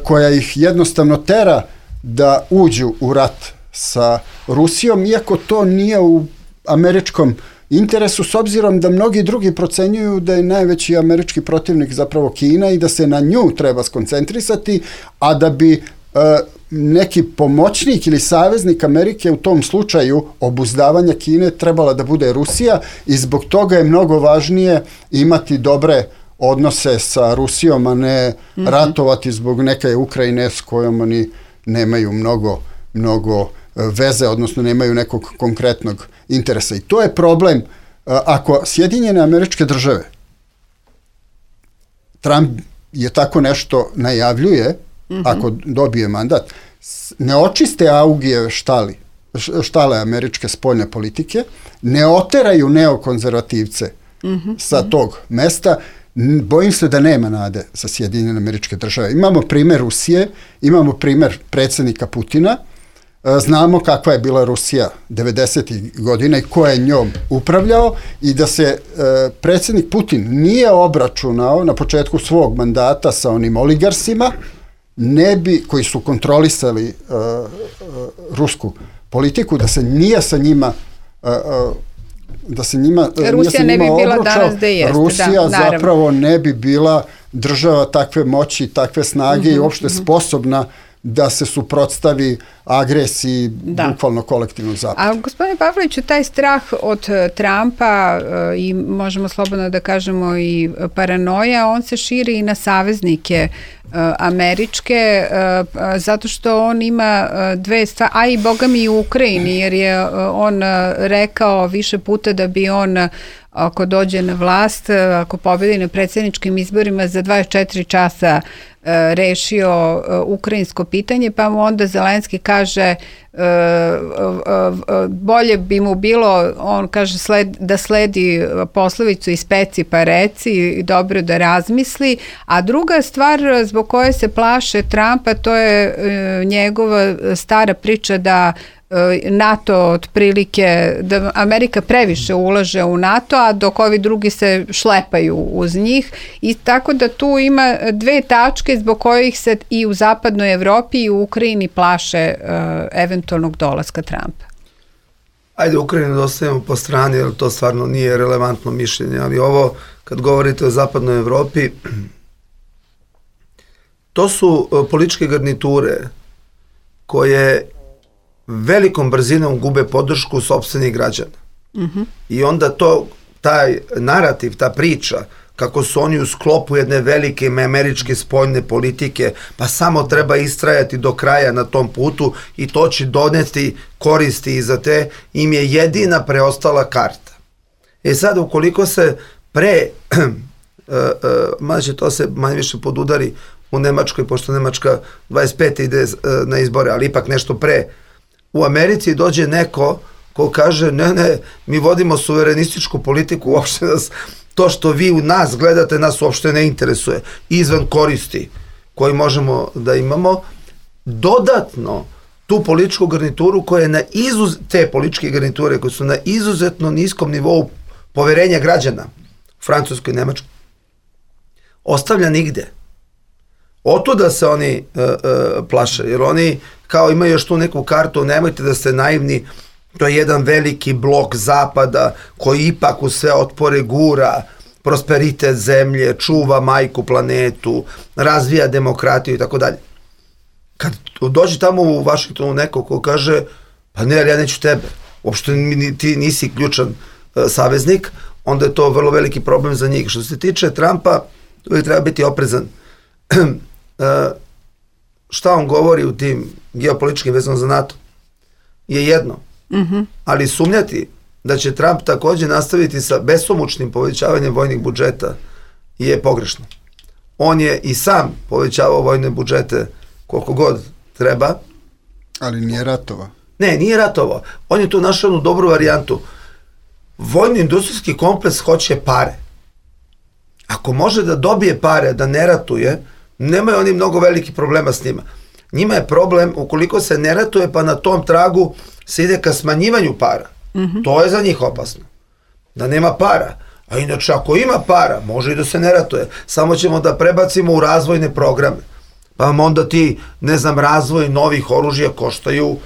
koja ih jednostavno tera da uđu u rat sa Rusijom, iako to nije u američkom interesu, s obzirom da mnogi drugi procenjuju da je najveći američki protivnik zapravo Kina i da se na nju treba skoncentrisati, a da bi e, neki pomoćnik ili saveznik Amerike u tom slučaju obuzdavanja Kine trebala da bude Rusija, i zbog toga je mnogo važnije imati dobre odnose sa Rusijom, a ne mm-hmm. ratovati zbog neke Ukrajine s kojom oni nemaju mnogo, mnogo veze, odnosno nemaju nekog konkretnog interesa. I to je problem. Ako Sjedinjene Američke Države, Trump je tako nešto najavljuje, mm-hmm. ako dobije mandat, ne očiste Augijeve štali, štale američke spoljne politike, ne oteraju neokonzervativce mm-hmm. sa tog mesta, bojim se da nema nade za Sjedinjene Američke Države. Imamo primer Rusije, imamo primer predsjednika Putina, znamo kakva je bila Rusija devedesetih godina i ko je njom upravljao, i da se e, predsjednik Putin nije obračunao na početku svog mandata sa onim oligarsima, ne bi, koji su kontrolisali e, e, rusku politiku, da se nije sa njima e, da se njima Rusija nije sa njima ne bi bila obručao, danas da jeste, Rusija da, zapravo ne bi bila država takve moći, takve snage mm-hmm, i uopšte mm-hmm. sposobna da se suprotstavi agresiji da. bukvalno kolektivnog zapada. A gospodine Pavloviću, taj strah od Trumpa e, i možemo slobodno da kažemo i paranoja, on se širi i na saveznike e, američke, e, zato što on ima dve stvari, a i boga mi i u Ukrajini, jer je on rekao više puta da bi on, ako dođe na vlast, ako pobedi na predsjedničkim izborima, za dvadeset četiri časa rešio ukrajinsko pitanje, pa mu onda Zelenski kaže bolje bi mu bilo, on kaže sled, da sledi poslovicu ispeci pa reci i dobro da razmisli, a druga stvar zbog koje se plaše Trumpa, to je njegova stara priča da NATO otprilike, da Amerika previše ulaže u NATO, a dok ovi drugi se šlepaju uz njih, i tako da tu ima dve tačke zbog kojih se i u zapadnoj Evropi i u Ukrajini plaše uh, eventualnog dolaska Trumpa. Ajde, Ukrajinu da ostavimo po strani, jer to stvarno nije relevantno mišljenje, ali ovo, kad govorite o zapadnoj Evropi, to su uh, političke garniture koje velikom brzinom gube podršku sopstvenih građana. Mm-hmm. I onda to, taj narativ, ta priča, kako su oni u sklopu jedne velike američke spoljne politike, pa samo treba istrajati do kraja na tom putu i to će doneti koristi i za te, im je jedina preostala karta. E sad, ukoliko se pre, uh, uh, mada će to se manje više podudari u Nemačkoj, pošto Nemačka dvadeset pete ide uh, na izbore, ali ipak nešto pre, u Americi dođe neko ko kaže ne, ne, mi vodimo suverenističku politiku, uopšte nas, to što vi u nas gledate nas uopšte ne interesuje, izvan koristi koji možemo da imamo, dodatno tu političku garnituru koja je na izuz, te političke garniture koje su na izuzetno niskom nivou poverenja građana u Francuskoj i Nemačkoj, ostavlja nigde. Otuda se oni uh, uh, plaše, jer oni kao imaju još tu neku kartu, nemojte da ste naivni, to je jedan veliki blok zapada koji ipak u sve otpore gura prosperitet zemlje, čuva majku planetu, razvija demokratiju i tako dalje. Kad dođe tamo u Vašingtonu neko ko kaže, pa ne, ali ja neću tebe, uopšte ti nisi ključan uh, saveznik, onda je to vrlo veliki problem za njih. Što se tiče Trumpa, uvijek treba biti oprezan. Uh, šta on govori u tim geopolitičkim vezama za NATO je jedno, mm-hmm. ali sumnjati da će Trump također nastaviti sa besomučnim povećavanjem vojnih budžeta je pogrešno. On je i sam povećavao vojne budžete koliko god treba. Ali nije ratovao. Ne, nije ratovao. On je tu našao jednu dobru varijantu. Vojno-industrijski kompleks hoće pare. Ako može da dobije pare, da ne ratuje, nemaju oni mnogo velikih problema s njima. Njima je problem ukoliko se ne ratuje, pa na tom tragu se ide ka smanjivanju para. Mm-hmm. To je za njih opasno. Da nema para. A inače, ako ima para, može i da se ne ratuje. Samo ćemo da prebacimo u razvojne programe. Pa vam onda ti, ne znam, razvoj novih oružja koštaju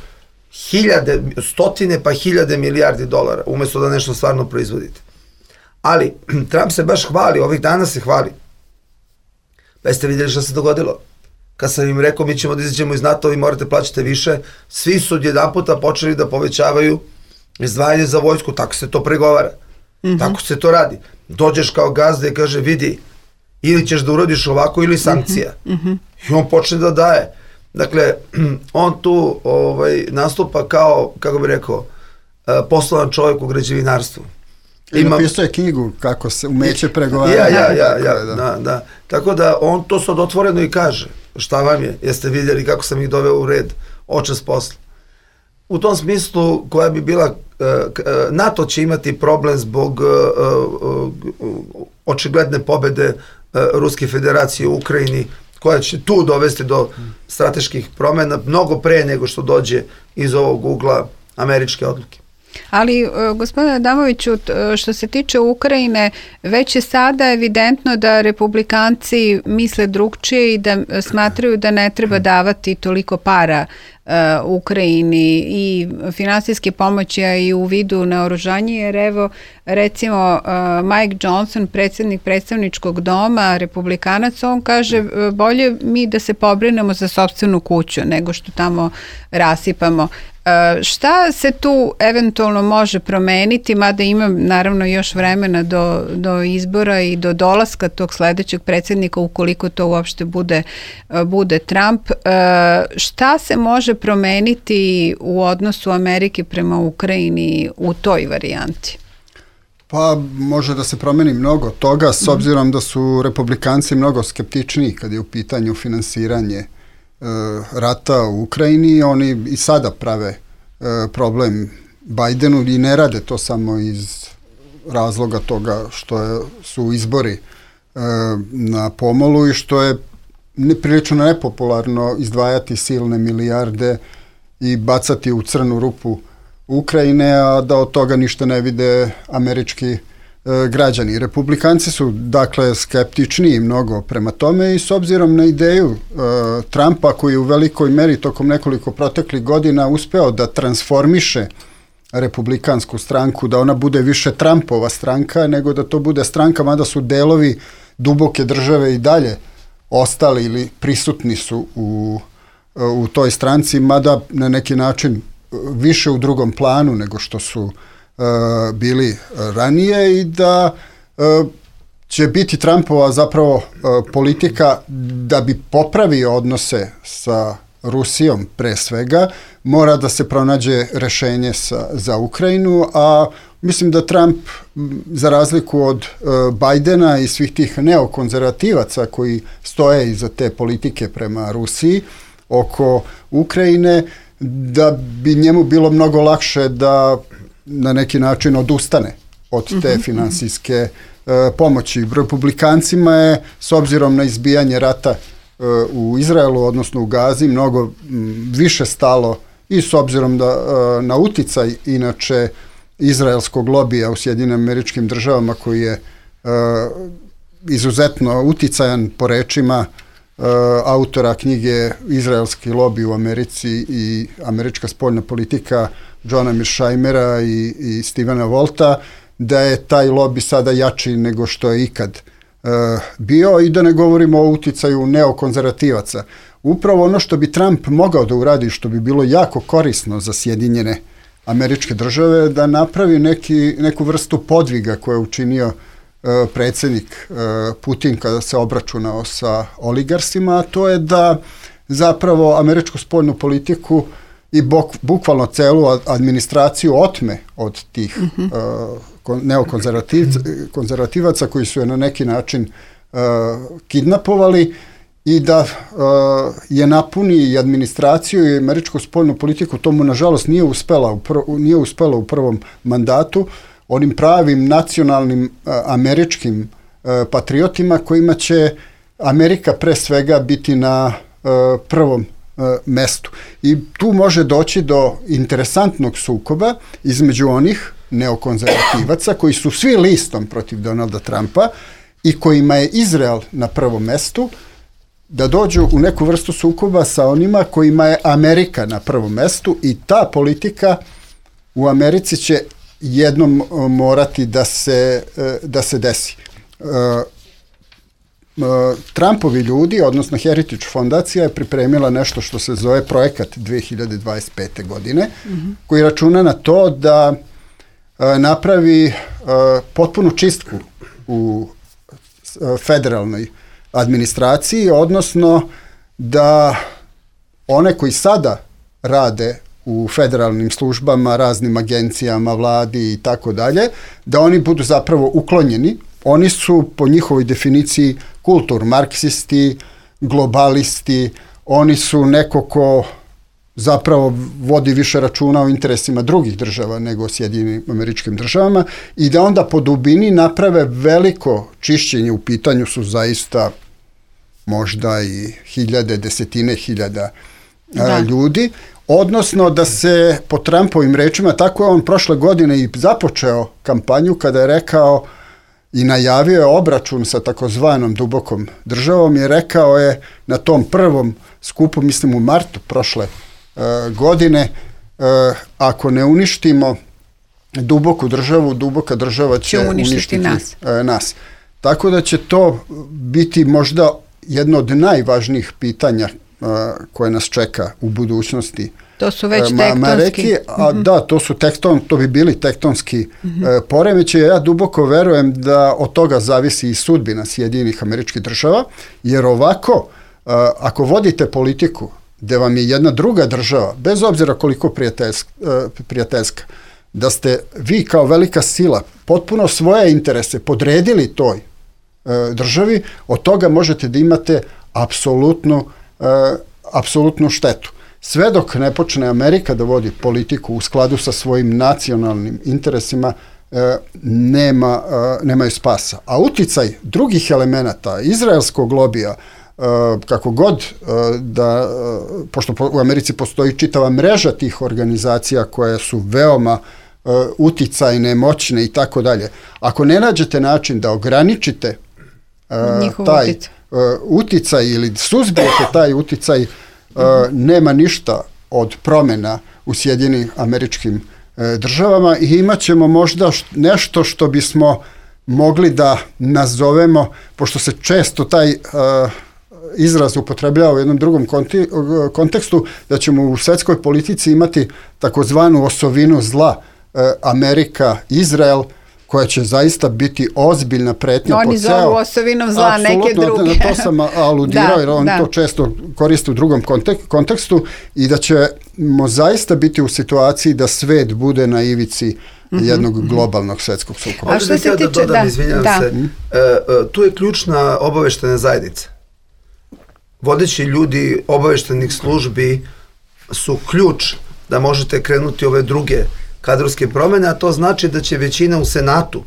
hiljade, stotine pa hiljade milijardi dolara, umjesto da nešto stvarno proizvodite. Ali, Trump se baš hvali, ovih dana se hvali. Pa jeste vidjeli što se dogodilo? Kad sam im rekao mi ćemo da izađemo iz NATO, vi morate plaćati više, svi su jedan puta počeli da povećavaju izdvajanje za vojsku, tako se to pregovara. Mm-hmm. Tako se to radi. Dođeš kao gazda i kaže vidi, ili ćeš da urodiš ovako ili sankcija. Mm-hmm. I on počne da daje. Dakle, on tu ovaj, nastupa kao, kako bih rekao, poslovan čovjek u građevinarstvu. I napisao je knjigu kako se umeće pregovarati. Ja, ja, ja, ja, da, da. Tako da on to sad otvoreno i kaže. Šta vam je? Jeste vidjeli kako sam ih doveo u red? Očas posla. U tom smislu koja bi bila, NATO će imati problem zbog očigledne pobede Ruske federacije u Ukrajini, koja će tu dovesti do strateških promjena mnogo pre nego što dođe iz ovog ugla američke odluke. Ali, gospodine Adamoviću, što se tiče Ukrajine, već je sada evidentno da republikanci misle drugčije i da smatraju da ne treba davati toliko para Ukrajini i finansijske pomoći, a i u vidu naoružanja, jer evo recimo Mike Johnson, predsjednik predstavničkog doma, republikanac, on kaže bolje mi da se pobrinemo za sopstvenu kuću nego što tamo rasipamo. Šta se tu eventualno može promeniti, mada ima naravno još vremena do, do izbora i do dolaska tog sledećeg predsjednika, ukoliko to uopšte bude, bude Trump. Šta se može promeniti u odnosu Amerike prema Ukrajini u toj varijanti? Pa može da se promeni mnogo toga, s obzirom da su republikanci mnogo skeptičniji kad je u pitanju finansiranje rata u Ukrajini. Oni i sada prave e, problem Bajdenu i ne rade to samo iz razloga toga što je, su izbori e, na pomolu i što je prilično nepopularno izdvajati silne milijarde i bacati u crnu rupu Ukrajine, a da od toga ništa ne vide američki građani. Republikanci su dakle skeptičniji mnogo prema tome i s obzirom na ideju uh, Trumpa, koji je u velikoj meri tokom nekoliko proteklih godina uspeo da transformiše republikansku stranku, da ona bude više Trumpova stranka nego da to bude stranka, mada su delovi duboke države i dalje ostali ili prisutni su u, u toj stranci, mada na neki način više u drugom planu nego što su Uh, bili ranije i da uh, će biti Trumpova zapravo uh, politika da bi popravio odnose sa Rusijom pre svega, mora da se pronađe rešenje sa, za Ukrajinu, a mislim da Trump, za razliku od uh, Bajdena i svih tih neokonzervativaca koji stoje iza te politike prema Rusiji oko Ukrajine, da bi njemu bilo mnogo lakše da na neki način odustane od te finansijske e, pomoći. Republikancima je, s obzirom na izbijanje rata e, u Izraelu, odnosno u Gazi, mnogo m, više stalo i s obzirom da, e, na uticaj inače izraelskog lobija u Sjedinjenim Američkim Državama, koji je e, izuzetno uticajan po rečima e, autora knjige Izraelski lobby u Americi i američka spoljna politika Johna Mearshimera i, i Stevena Wolta, da je taj lobby sada jači nego što je ikad e, bio, i da ne govorimo o uticaju neokonzervativaca. Upravo ono što bi Trump mogao da uradi, što bi bilo jako korisno za Sjedinjene Američke Države, da napravi neki, neku vrstu podviga koje je učinio e, predsjednik e, Putin kada se obračunao sa oligarsima, a to je da zapravo američku spoljnu politiku i bok, bukvalno celu administraciju otme od tih uh-huh. uh, neokonzervativaca koji su je na neki način uh, kidnapovali, i da uh, je napuni i administraciju i američku spoljnu politiku. Tomu nažalost nije uspela u, prv, nije uspela u prvom mandatu, onim pravim nacionalnim uh, američkim uh, patriotima kojima će Amerika pre svega biti na uh, prvom mestu. I tu može doći do interesantnog sukoba između onih neokonzervativaca koji su svi listom protiv Donalda Trumpa i kojima je Izrael na prvom mestu, da dođu u neku vrstu sukoba sa onima kojima je Amerika na prvom mestu, i ta politika u Americi će jednom morati da se, da se desi. Trumpovi ljudi, odnosno Heritage fondacija, je pripremila nešto što se zove projekat dve hiljade dvadeset pete. godine, mm-hmm. koji računa na to da a, napravi a, potpunu čistku u a, federalnoj administraciji, odnosno da one koji sada rade u federalnim službama, raznim agencijama, vladi i tako dalje, da oni budu zapravo uklonjeni. Oni su po njihovoj definiciji kultur marksisti, globalisti, oni su neko ko zapravo vodi više računa o interesima drugih država nego Sjedinjenim Američkim Državama, i da onda po dubini naprave veliko čišćenje. U pitanju su zaista možda i hiljade, desetine hiljada da. ljudi, odnosno da se po Trumpovim rečima, tako je on prošle godine i započeo kampanju kada je rekao i najavio je obračun sa takozvanom dubokom državom, je rekao je na tom prvom skupu, mislim u martu prošle uh, godine. Ako ne uništimo duboku državu, duboka država će, će uništiti, uništiti nas. nas. Tako da će to biti možda jedno od najvažnijih pitanja koje nas čeka u budućnosti. To su već tektonski. A, mm-hmm. Da, to su tekton, to bi bili tektonski mm-hmm. e, poremećaji. Ja duboko verujem da od toga zavisi i sudbina Sjedinjenih Američkih Država, jer ovako, e, ako vodite politiku gde vam je jedna druga država, bez obzira koliko prijateljska, e, prijateljska, da ste vi kao velika sila potpuno svoje interese podredili toj e, državi, od toga možete da imate apsolutnu, e, apsolutnu štetu. Sve dok ne počne Amerika da vodi politiku u skladu sa svojim nacionalnim interesima, e, nema, e, nemaju spasa. A uticaj drugih elemenata, izraelskog lobija, e, kako god e, da, e, pošto po, u Americi postoji čitava mreža tih organizacija koje su veoma e, uticajne, moćne i tako dalje. Ako ne nađete način da ograničite e, taj uticaj. E, uticaj ili suzbijete taj uticaj, Uh, nema ništa od promjena u Sjedinjenim Američkim uh, Državama i imat ćemo možda š, nešto što bismo mogli da nazovemo, pošto se često taj uh, izraz upotrebljava u jednom drugom konti, uh, kontekstu, da ćemo u svetskoj politici imati takozvanu osovinu zla uh, Amerika, Izrael, koja će zaista biti ozbiljna pretnja oni po ceo... Oni zovu osovinom zla neke druge. Apsolutno, na to sam aludirao, da, jer on da. to često koristi u drugom kontek, kontekstu i da ćemo zaista biti u situaciji da svet bude na ivici mm-hmm. jednog globalnog svetskog sukoba. A što se tiče... Da dodam, da, izvinjam da. se, e, e, tu je ključna obaveštena zajednica. Vodeći ljudi obaveštenih službi su ključ da možete krenuti ove druge kadrovske promjene, a to znači da će većina u Senatu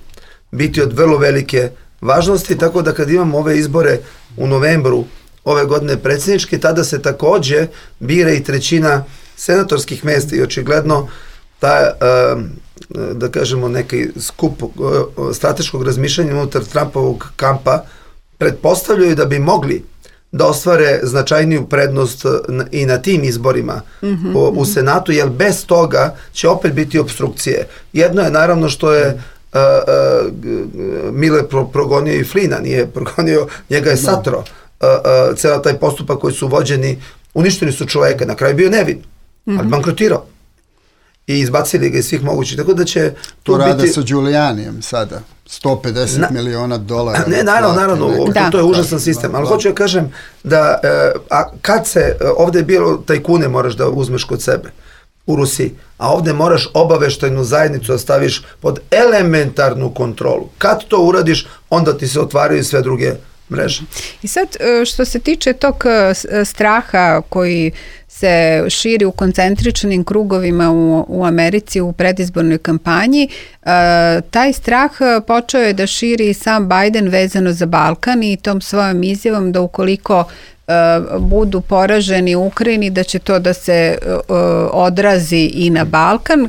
biti od vrlo velike važnosti, tako da kad imamo ove izbore u novembru ove godine predsjedničke, tada se takođe bira i trećina senatorskih mjesta i očigledno ta, da kažemo, neki skup strateškog razmišljanja unutar Trumpovog kampa pretpostavljaju da bi mogli da ostvare značajniju prednost i na tim izborima mm-hmm. u, u Senatu, jer bez toga će opet biti obstrukcije. Jedno je naravno što je uh, uh, Miller pro, progonio i Flina, nije progonio, njega je satro. Uh, uh, cela taj postupak koji su vođeni, uništili su čoveka, na kraju bio nevin, mm-hmm. ali bankrotirao. I izbacili ga iz svih mogućih, tako da će to tu rade biti... sa Giulianijem sada, sto pedeset Na, miliona dolara. Ne, naravno, naravno, da. to je užasan sistem, ali hoću ja kažem da a, kad se, ovde je bilo tajkune moraš da uzmeš kod sebe u Rusiji, a ovde moraš obaveštajnu zajednicu da staviš pod elementarnu kontrolu. Kad to uradiš, onda ti se otvaraju sve druge mreže. I sad, što se tiče tog straha koji se širi u koncentričnim krugovima u, u Americi u predizbornoj kampanji, uh, taj strah počeo je da širi i sam Biden vezano za Balkan i tom svojom izjavom da ukoliko uh, budu poraženi u Ukrajini, da će to da se uh, odrazi i na Balkan. Uh,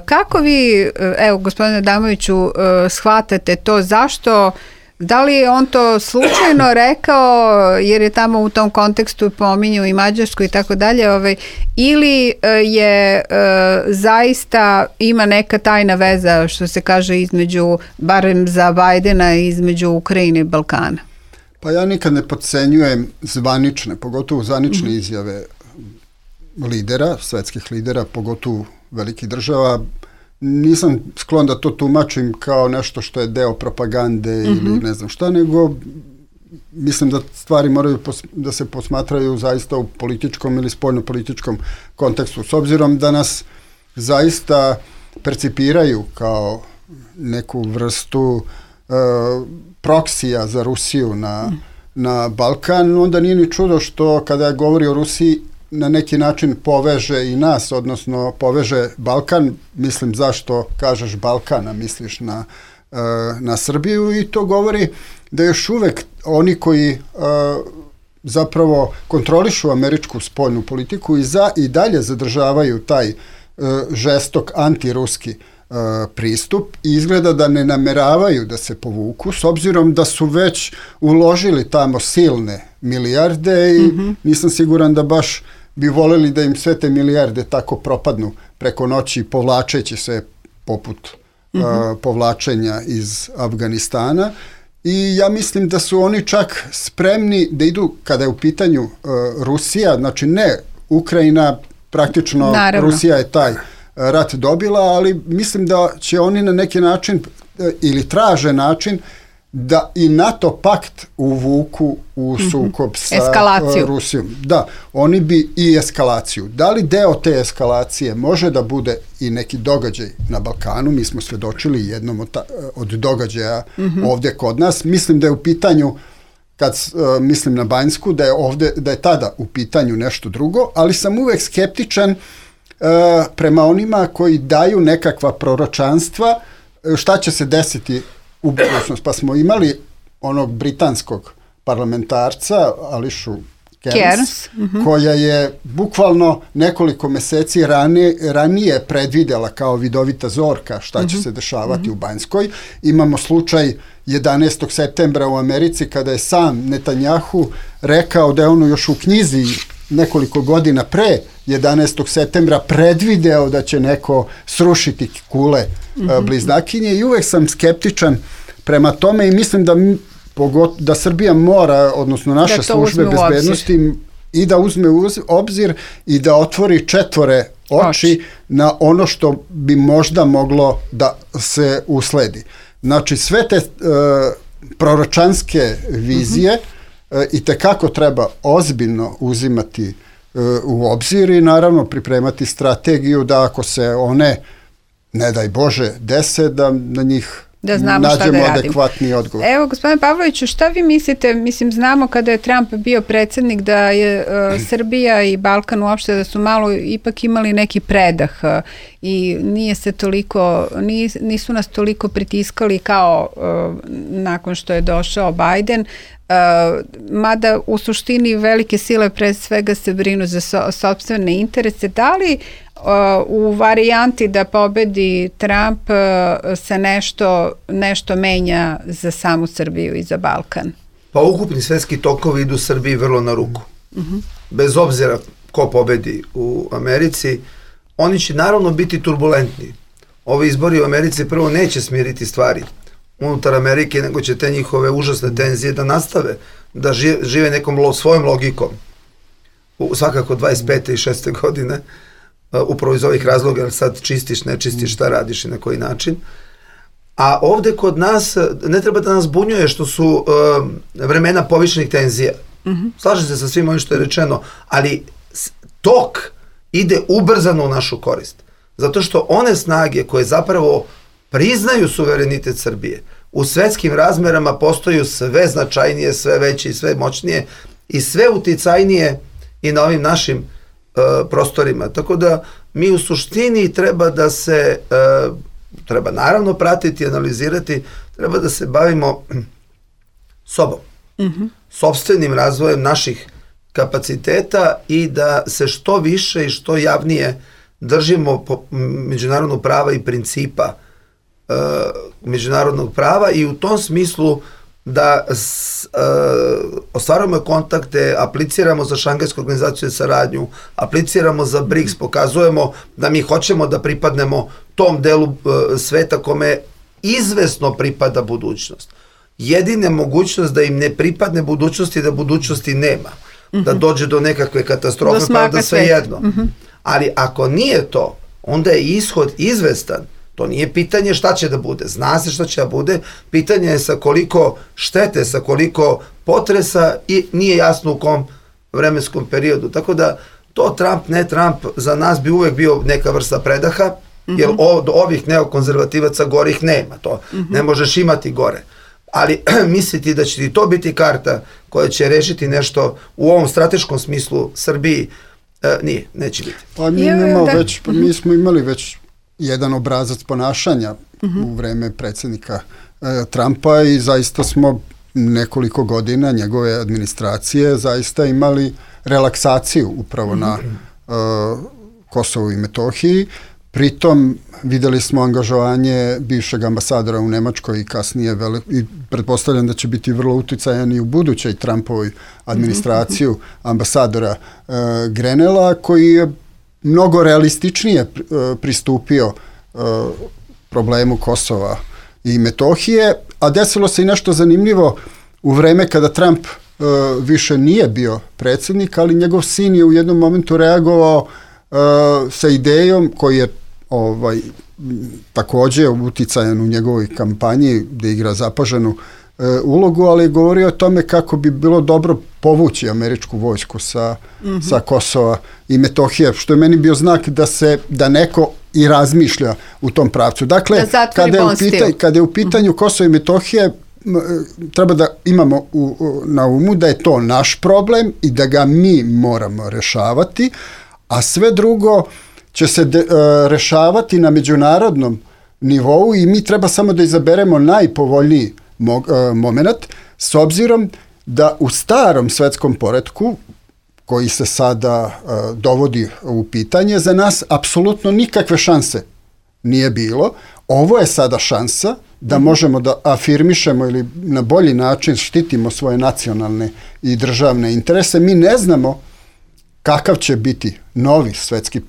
kako vi, evo gospodine Adamoviću, uh, shvatate to, zašto? Da li je on to slučajno rekao, jer je tamo u tom kontekstu pominjao i Mađarsku i tako dalje, ovaj, ili je e, zaista ima neka tajna veza, što se kaže, između, barem za Bajdena, između Ukrajine i Balkana? Pa ja nikad ne podcenjujem zvanične, pogotovo zvanične mm-hmm. izjave lidera, svetskih lidera, pogotovo velikih država. Nisam sklon da to tumačim kao nešto što je deo propagande mm-hmm. ili ne znam šta, nego mislim da stvari moraju pos, da se posmatraju zaista u političkom ili spoljno-političkom kontekstu. S obzirom da nas zaista percipiraju kao neku vrstu uh, proksija za Rusiju na, mm. na Balkan, onda nije ni čudo što kada govori o Rusiji na neki način poveže i nas, odnosno poveže Balkan, mislim zašto kažeš Balkan, a misliš na, uh, na Srbiju, i to govori da još uvek oni koji uh, zapravo kontrolišu američku spoljnu politiku i, za, i dalje zadržavaju taj uh, žestok antiruski uh, pristup i izgleda da ne nameravaju da se povuku, s obzirom da su već uložili tamo silne milijarde i mm-hmm. nisam siguran da baš bi voleli da im sve te milijarde tako propadnu preko noći, povlačeći se poput mm-hmm. uh, povlačenja iz Afganistana. I ja mislim da su oni čak spremni da idu, kada je u pitanju uh, Rusija, znači ne Ukrajina, praktično Naravno. Rusija je taj rat dobila, ali mislim da će oni na neki način uh, ili traže način da i NATO pakt uvuku u sukob mm-hmm. sa Eskalaciju. Rusijom. Da, oni bi i eskalaciju. Da li deo te eskalacije može da bude i neki događaj na Balkanu? Mi smo svedočili jednom od, ta, od događaja mm-hmm. ovdje kod nas. Mislim da je u pitanju, kad uh, mislim na Banjsku, da je, ovdje, da je tada u pitanju nešto drugo, ali sam uvek skeptičan uh, prema onima koji daju nekakva proročanstva šta će se desiti u budućnost. Pa smo imali onog britanskog parlamentarca Ališu Kearns, Kearns. Mm-hmm. koja je bukvalno nekoliko meseci ranije, ranije predvidela kao vidovita zorka šta će mm-hmm. se dešavati mm-hmm. u Banjskoj. Imamo slučaj jedanaestog septembra u Americi kada je sam Netanjahu rekao da je ono još u knjizi nekoliko godina pre jedanaestog septembra predvideo da će neko srušiti kule mm-hmm. bliznakinje i uvek sam skeptičan prema tome i mislim da, pogot, da Srbija mora, odnosno naše službe bezbednosti i da uzme u obzir i da otvori četvore oči, oči na ono što bi možda moglo da se usledi. Znači sve te uh, proročanske vizije mm-hmm. uh, i tekako treba ozbiljno uzimati uh, u obzir i naravno pripremati strategiju da ako se one, ne daj Bože, dese, da na njih da znamo šta da adekvatni odgovor. Evo, gospodine Pavloviću, šta vi mislite, mislim, znamo kada je Trump bio predsjednik da je uh, Srbija i Balkan uopšte da su malo ipak imali neki predah uh, i nije se toliko, nis, nisu nas toliko pritiskali kao uh, nakon što je došao Biden, uh, mada u suštini velike sile pre svega se brinu za so, sopstvene interese. Da li u varijanti da pobedi Trump se nešto, nešto menja za samu Srbiju i za Balkan? Pa ukupni svetski tokovi idu Srbiji vrlo na ruku. Uh-huh. Bez obzira ko pobedi u Americi, oni će naravno biti turbulentni. Ovi izbori u Americi prvo neće smiriti stvari unutar Amerike, nego će te njihove užasne tenzije da nastave, da žive nekom lo, svojom logikom. U, svakako dvadeset pete i šeste godine, upravo iz ovih razloga, jer sad čistiš, ne čistiš, šta radiš i na koji način. A ovde kod nas, ne treba da nas bunjuje što su uh, vremena povišenih tenzija. Mm-hmm. Slažem se sa svim ovim što je rečeno, ali tok ide ubrzano u našu korist. Zato što one snage koje zapravo priznaju suverenitet Srbije u svetskim razmerama postaju sve značajnije, sve veće i sve moćnije i sve uticajnije i na ovim našim prostorima. Tako da mi u suštini treba da se uh, treba naravno pratiti, analizirati, treba da se bavimo sobom, mm-hmm. sopstvenim razvojem naših kapaciteta i da se što više i što javnije držimo po međunarodnog prava i principa uh, međunarodnog prava i u tom smislu da s, uh, ostvarujemo kontakte, apliciramo za Šangajsku organizaciju za saradnju, apliciramo za BRICS, pokazujemo da mi hoćemo da pripadnemo tom delu uh, sveta kome izvesno pripada budućnost. Jedina mogućnost da im ne pripadne budućnosti, da budućnosti nema. Mm-hmm. Da dođe do nekakve katastrofe, pa da sve jedno. Mm-hmm. Ali ako nije to, onda je ishod izvestan. To nije pitanje šta će da bude. Zna se šta će da bude. Pitanje je sa koliko štete, sa koliko potresa i nije jasno u kom vremenskom periodu. Tako da to Trump, ne Trump, za nas bi uvek bio neka vrsta predaha, mm-hmm. jer od ovih neokonzervativaca gorih nema. To mm-hmm. ne možeš imati gore. Ali misliti da će ti to biti karta koja će rešiti nešto u ovom strateškom smislu Srbiji, e, nije, neće biti. Pa mi, imamo već, pa mi smo imali već jedan obrazac ponašanja uh-huh. u vreme predsjednika e, Trumpa i zaista smo nekoliko godina njegove administracije zaista imali relaksaciju upravo uh-huh. na e, Kosovu i Metohiji pritom videli smo angažovanje bivšeg ambasadora u Nemačkoj i kasnije vele, i pretpostavljam da će biti vrlo uticajan i u budućoj Trumpovoj administraciju mm-hmm. ambasadora e, Grenela, koji je mnogo realističnije e, pristupio e, problemu Kosova i Metohije, a desilo se i nešto zanimljivo u vreme kada Trump e, više nije bio predsjednik, ali njegov sin je u jednom momentu reagovao e, sa idejom koji je ovaj, također uticajan u njegovoj kampanji gdje igra zapaženu e, ulogu, ali je govorio o tome kako bi bilo dobro povući američku vojsku sa, mm-hmm. sa Kosova i Metohije, što je meni bio znak da se da neko i razmišlja u tom pravcu. Dakle, kada je, u pitanju, kada je u pitanju mm-hmm. Kosovo i Metohije, treba da imamo u, u, na umu da je to naš problem i da ga mi moramo rešavati, a sve drugo će se de, uh, rešavati na međunarodnom nivou i mi treba samo da izaberemo najpovoljniji mo, uh, moment, s obzirom da u starom svetskom poretku, koji se sada uh, dovodi u pitanje, za nas apsolutno nikakve šanse nije bilo. Ovo je sada šansa da mm-hmm. možemo da afirmišemo ili na bolji način štitimo svoje nacionalne i državne interese. Mi ne znamo kakav će biti novi svetski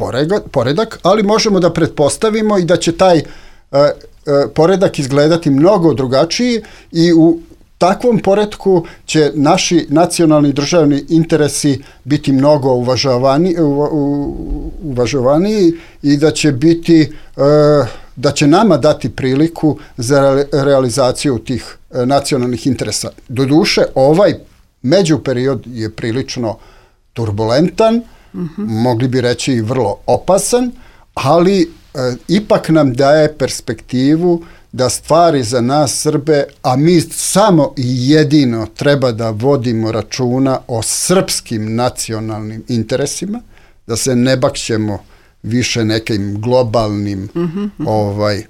poredak, ali možemo da pretpostavimo i da će taj uh, uh, poredak izgledati mnogo drugačiji i u takvom poretku će naši nacionalni državni interesi biti mnogo uvažavani, u, u, uvažavaniji i da će biti uh, da će nama dati priliku za realizaciju tih uh, nacionalnih interesa. Doduše, ovaj međuperiod je prilično turbulentan, mm-hmm. mogli bi reći i vrlo opasan, ali e, ipak nam daje perspektivu da stvari za nas Srbe, a mi samo i jedino treba da vodimo računa o srpskim nacionalnim interesima, da se ne bakćemo više nekim globalnim mm-hmm. ovaj, e,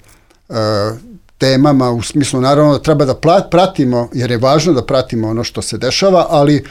temama, u smislu naravno da treba da pratimo, jer je važno da pratimo ono što se dešava, ali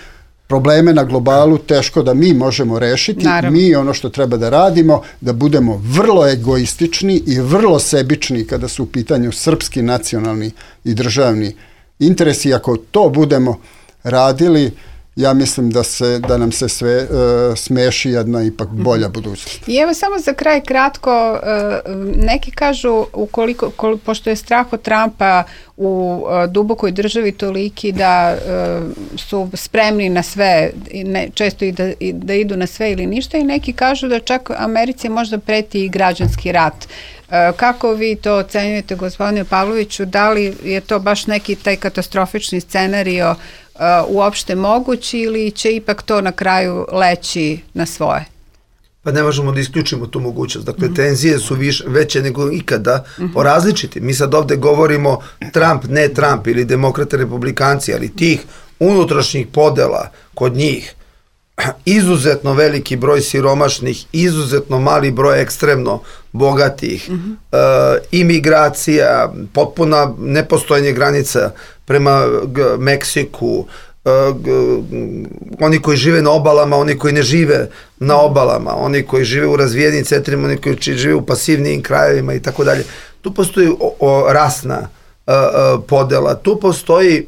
probleme na globalu teško da mi možemo rešiti. Naravno. Mi ono što treba da radimo, da budemo vrlo egoistični i vrlo sebični kada su u pitanju srpski nacionalni i državni interesi. Ako to budemo radili, ja mislim da se da nam se sve uh, smeši jedna ipak bolja budućnost. I evo samo za kraj kratko, uh, neki kažu ukoliko, kol, pošto je strah od Trumpa u uh, dubokoj državi toliki da uh, su spremni na sve, ne, često i da, i da idu na sve ili ništa, i neki kažu da čak Americi možda preti i građanski rat. Uh, kako vi to ocenjujete, gospodine Pavloviću, da li je to baš neki taj katastrofični scenario Uh, uopšte mogući ili će ipak to na kraju leći na svoje? Pa ne možemo da isključimo tu mogućnost. Dakle, mm-hmm. tenzije su više, veće nego ikada mm-hmm. po različiti. Mi sad ovde govorimo Trump, ne Trump ili demokrate, republikanci, ali tih unutrašnjih podela kod njih, izuzetno veliki broj siromašnih, izuzetno mali broj ekstremno bogatih, mm-hmm. e, imigracija, potpuna nepostojanje granica prema g, Meksiku, e, g, oni koji žive na obalama, oni koji ne žive na obalama, oni koji žive u razvijenim centrima, oni koji žive u pasivnijim krajevima i tako dalje. Tu postoji o, o, rasna e, e, podela, tu postoji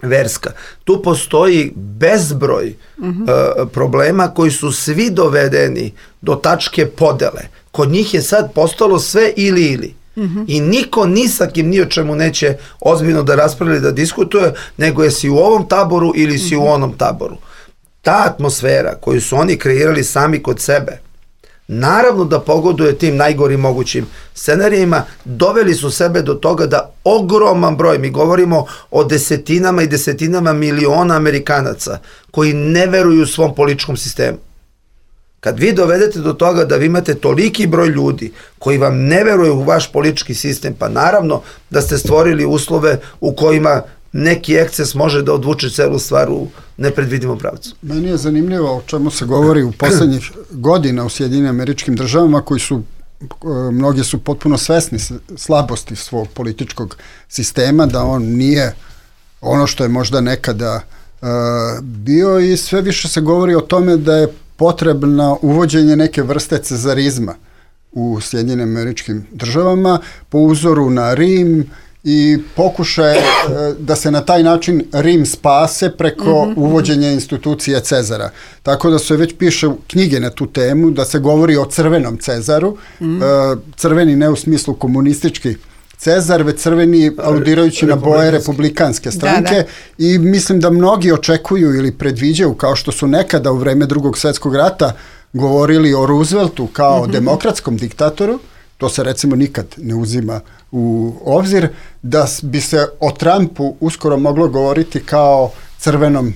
verska. Tu postoji bezbroj mm-hmm. uh, problema koji su svi dovedeni do tačke podele. Kod njih je sad postalo sve ili ili. Mm-hmm. I niko ni sa kim ni o čemu neće ozbiljno da raspravlja, da diskutuje, nego je si u ovom taboru ili si mm-hmm. u onom taboru. Ta atmosfera koju su oni kreirali sami kod sebe, naravno da pogoduje tim najgorim mogućim scenarijima, doveli su sebe do toga da ogroman broj, mi govorimo o desetinama i desetinama miliona Amerikanaca koji ne veruju svom političkom sistemu. Kad vi dovedete do toga da vi imate toliki broj ljudi koji vam ne veruju u vaš politički sistem, pa naravno da ste stvorili uslove u kojima neki eksces može da odvuče celu stvar u nepredvidivom pravcu. Meni je zanimljivo o čemu se govori u poslednjih godina u Sjedinjenim Američkim Državama, koji su, mnogi su potpuno svesni slabosti svog političkog sistema, da on nije ono što je možda nekada uh, bio, i sve više se govori o tome da je potrebno uvođenje neke vrste cezarizma u Sjedinjenim Američkim Državama po uzoru na Rim i pokušaje da se na taj način Rim spase preko mm-hmm. uvođenja institucije Cezara. Tako da se već piše knjige na tu temu, da se govori o crvenom Cezaru, mm-hmm. crveni ne u smislu komunistički Cezar, već crveni aludirajući na boje republikanske stranke. Da, da. I mislim da mnogi očekuju ili predviđaju, kao što su nekada u vreme Drugog svjetskog rata govorili o Rooseveltu kao mm-hmm. demokratskom diktatoru, to se recimo nikad ne uzima u obzir, da bi se o Trumpu uskoro moglo govoriti kao crvenom e,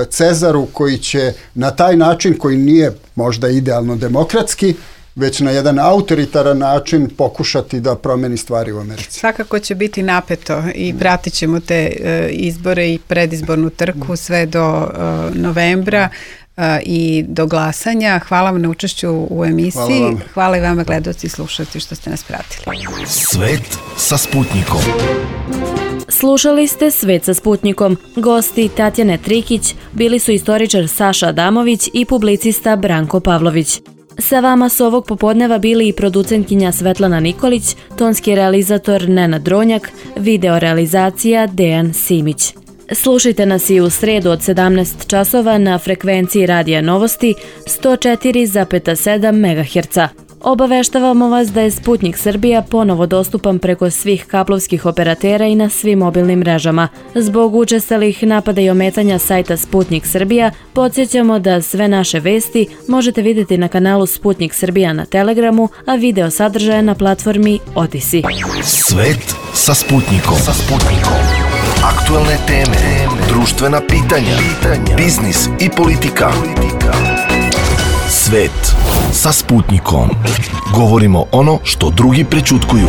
Cezaru koji će na taj način, koji nije možda idealno demokratski, već na jedan autoritaran način pokušati da promeni stvari u Americi. Svakako će biti napeto i pratit ćemo te e, izbore i predizbornu trku sve do e, novembra e, i do glasanja. Hvala vam na učešću u emisiji. Hvala, Hvala i vama gledaoci i slušalci što ste nas pratili. Svet sa Sputnikom. Slušali ste Svet sa Sputnikom. Gosti Tatjane Trikić bili su istoričar Saša Adamović i publicista Branko Pavlović. Sa vama su ovog popodneva bili i producentkinja Svetlana Nikolić, tonski realizator Nenad Dronjak, video realizacija Dejan Simić. Slušajte nas i u sredu od sedamnaest časova na frekvenciji Radija Novosti sto četiri zarez sedam megaherca. Obaveštavamo vas da je Sputnik Srbija ponovo dostupan preko svih kablovskih operatera i na svim mobilnim mrežama. Zbog učestalih napada i ometanja sajta Sputnik Srbija, podsjećamo da sve naše vesti možete vidjeti na kanalu Sputnik Srbija na Telegramu, a video sadržaje na platformi Odisi. Svet sa Sputnikom. Sa Sputnikom. Aktualne teme, društvena pitanja, biznis i politika. Svet sa Sputnikom. Govorimo ono što drugi prećutkuju.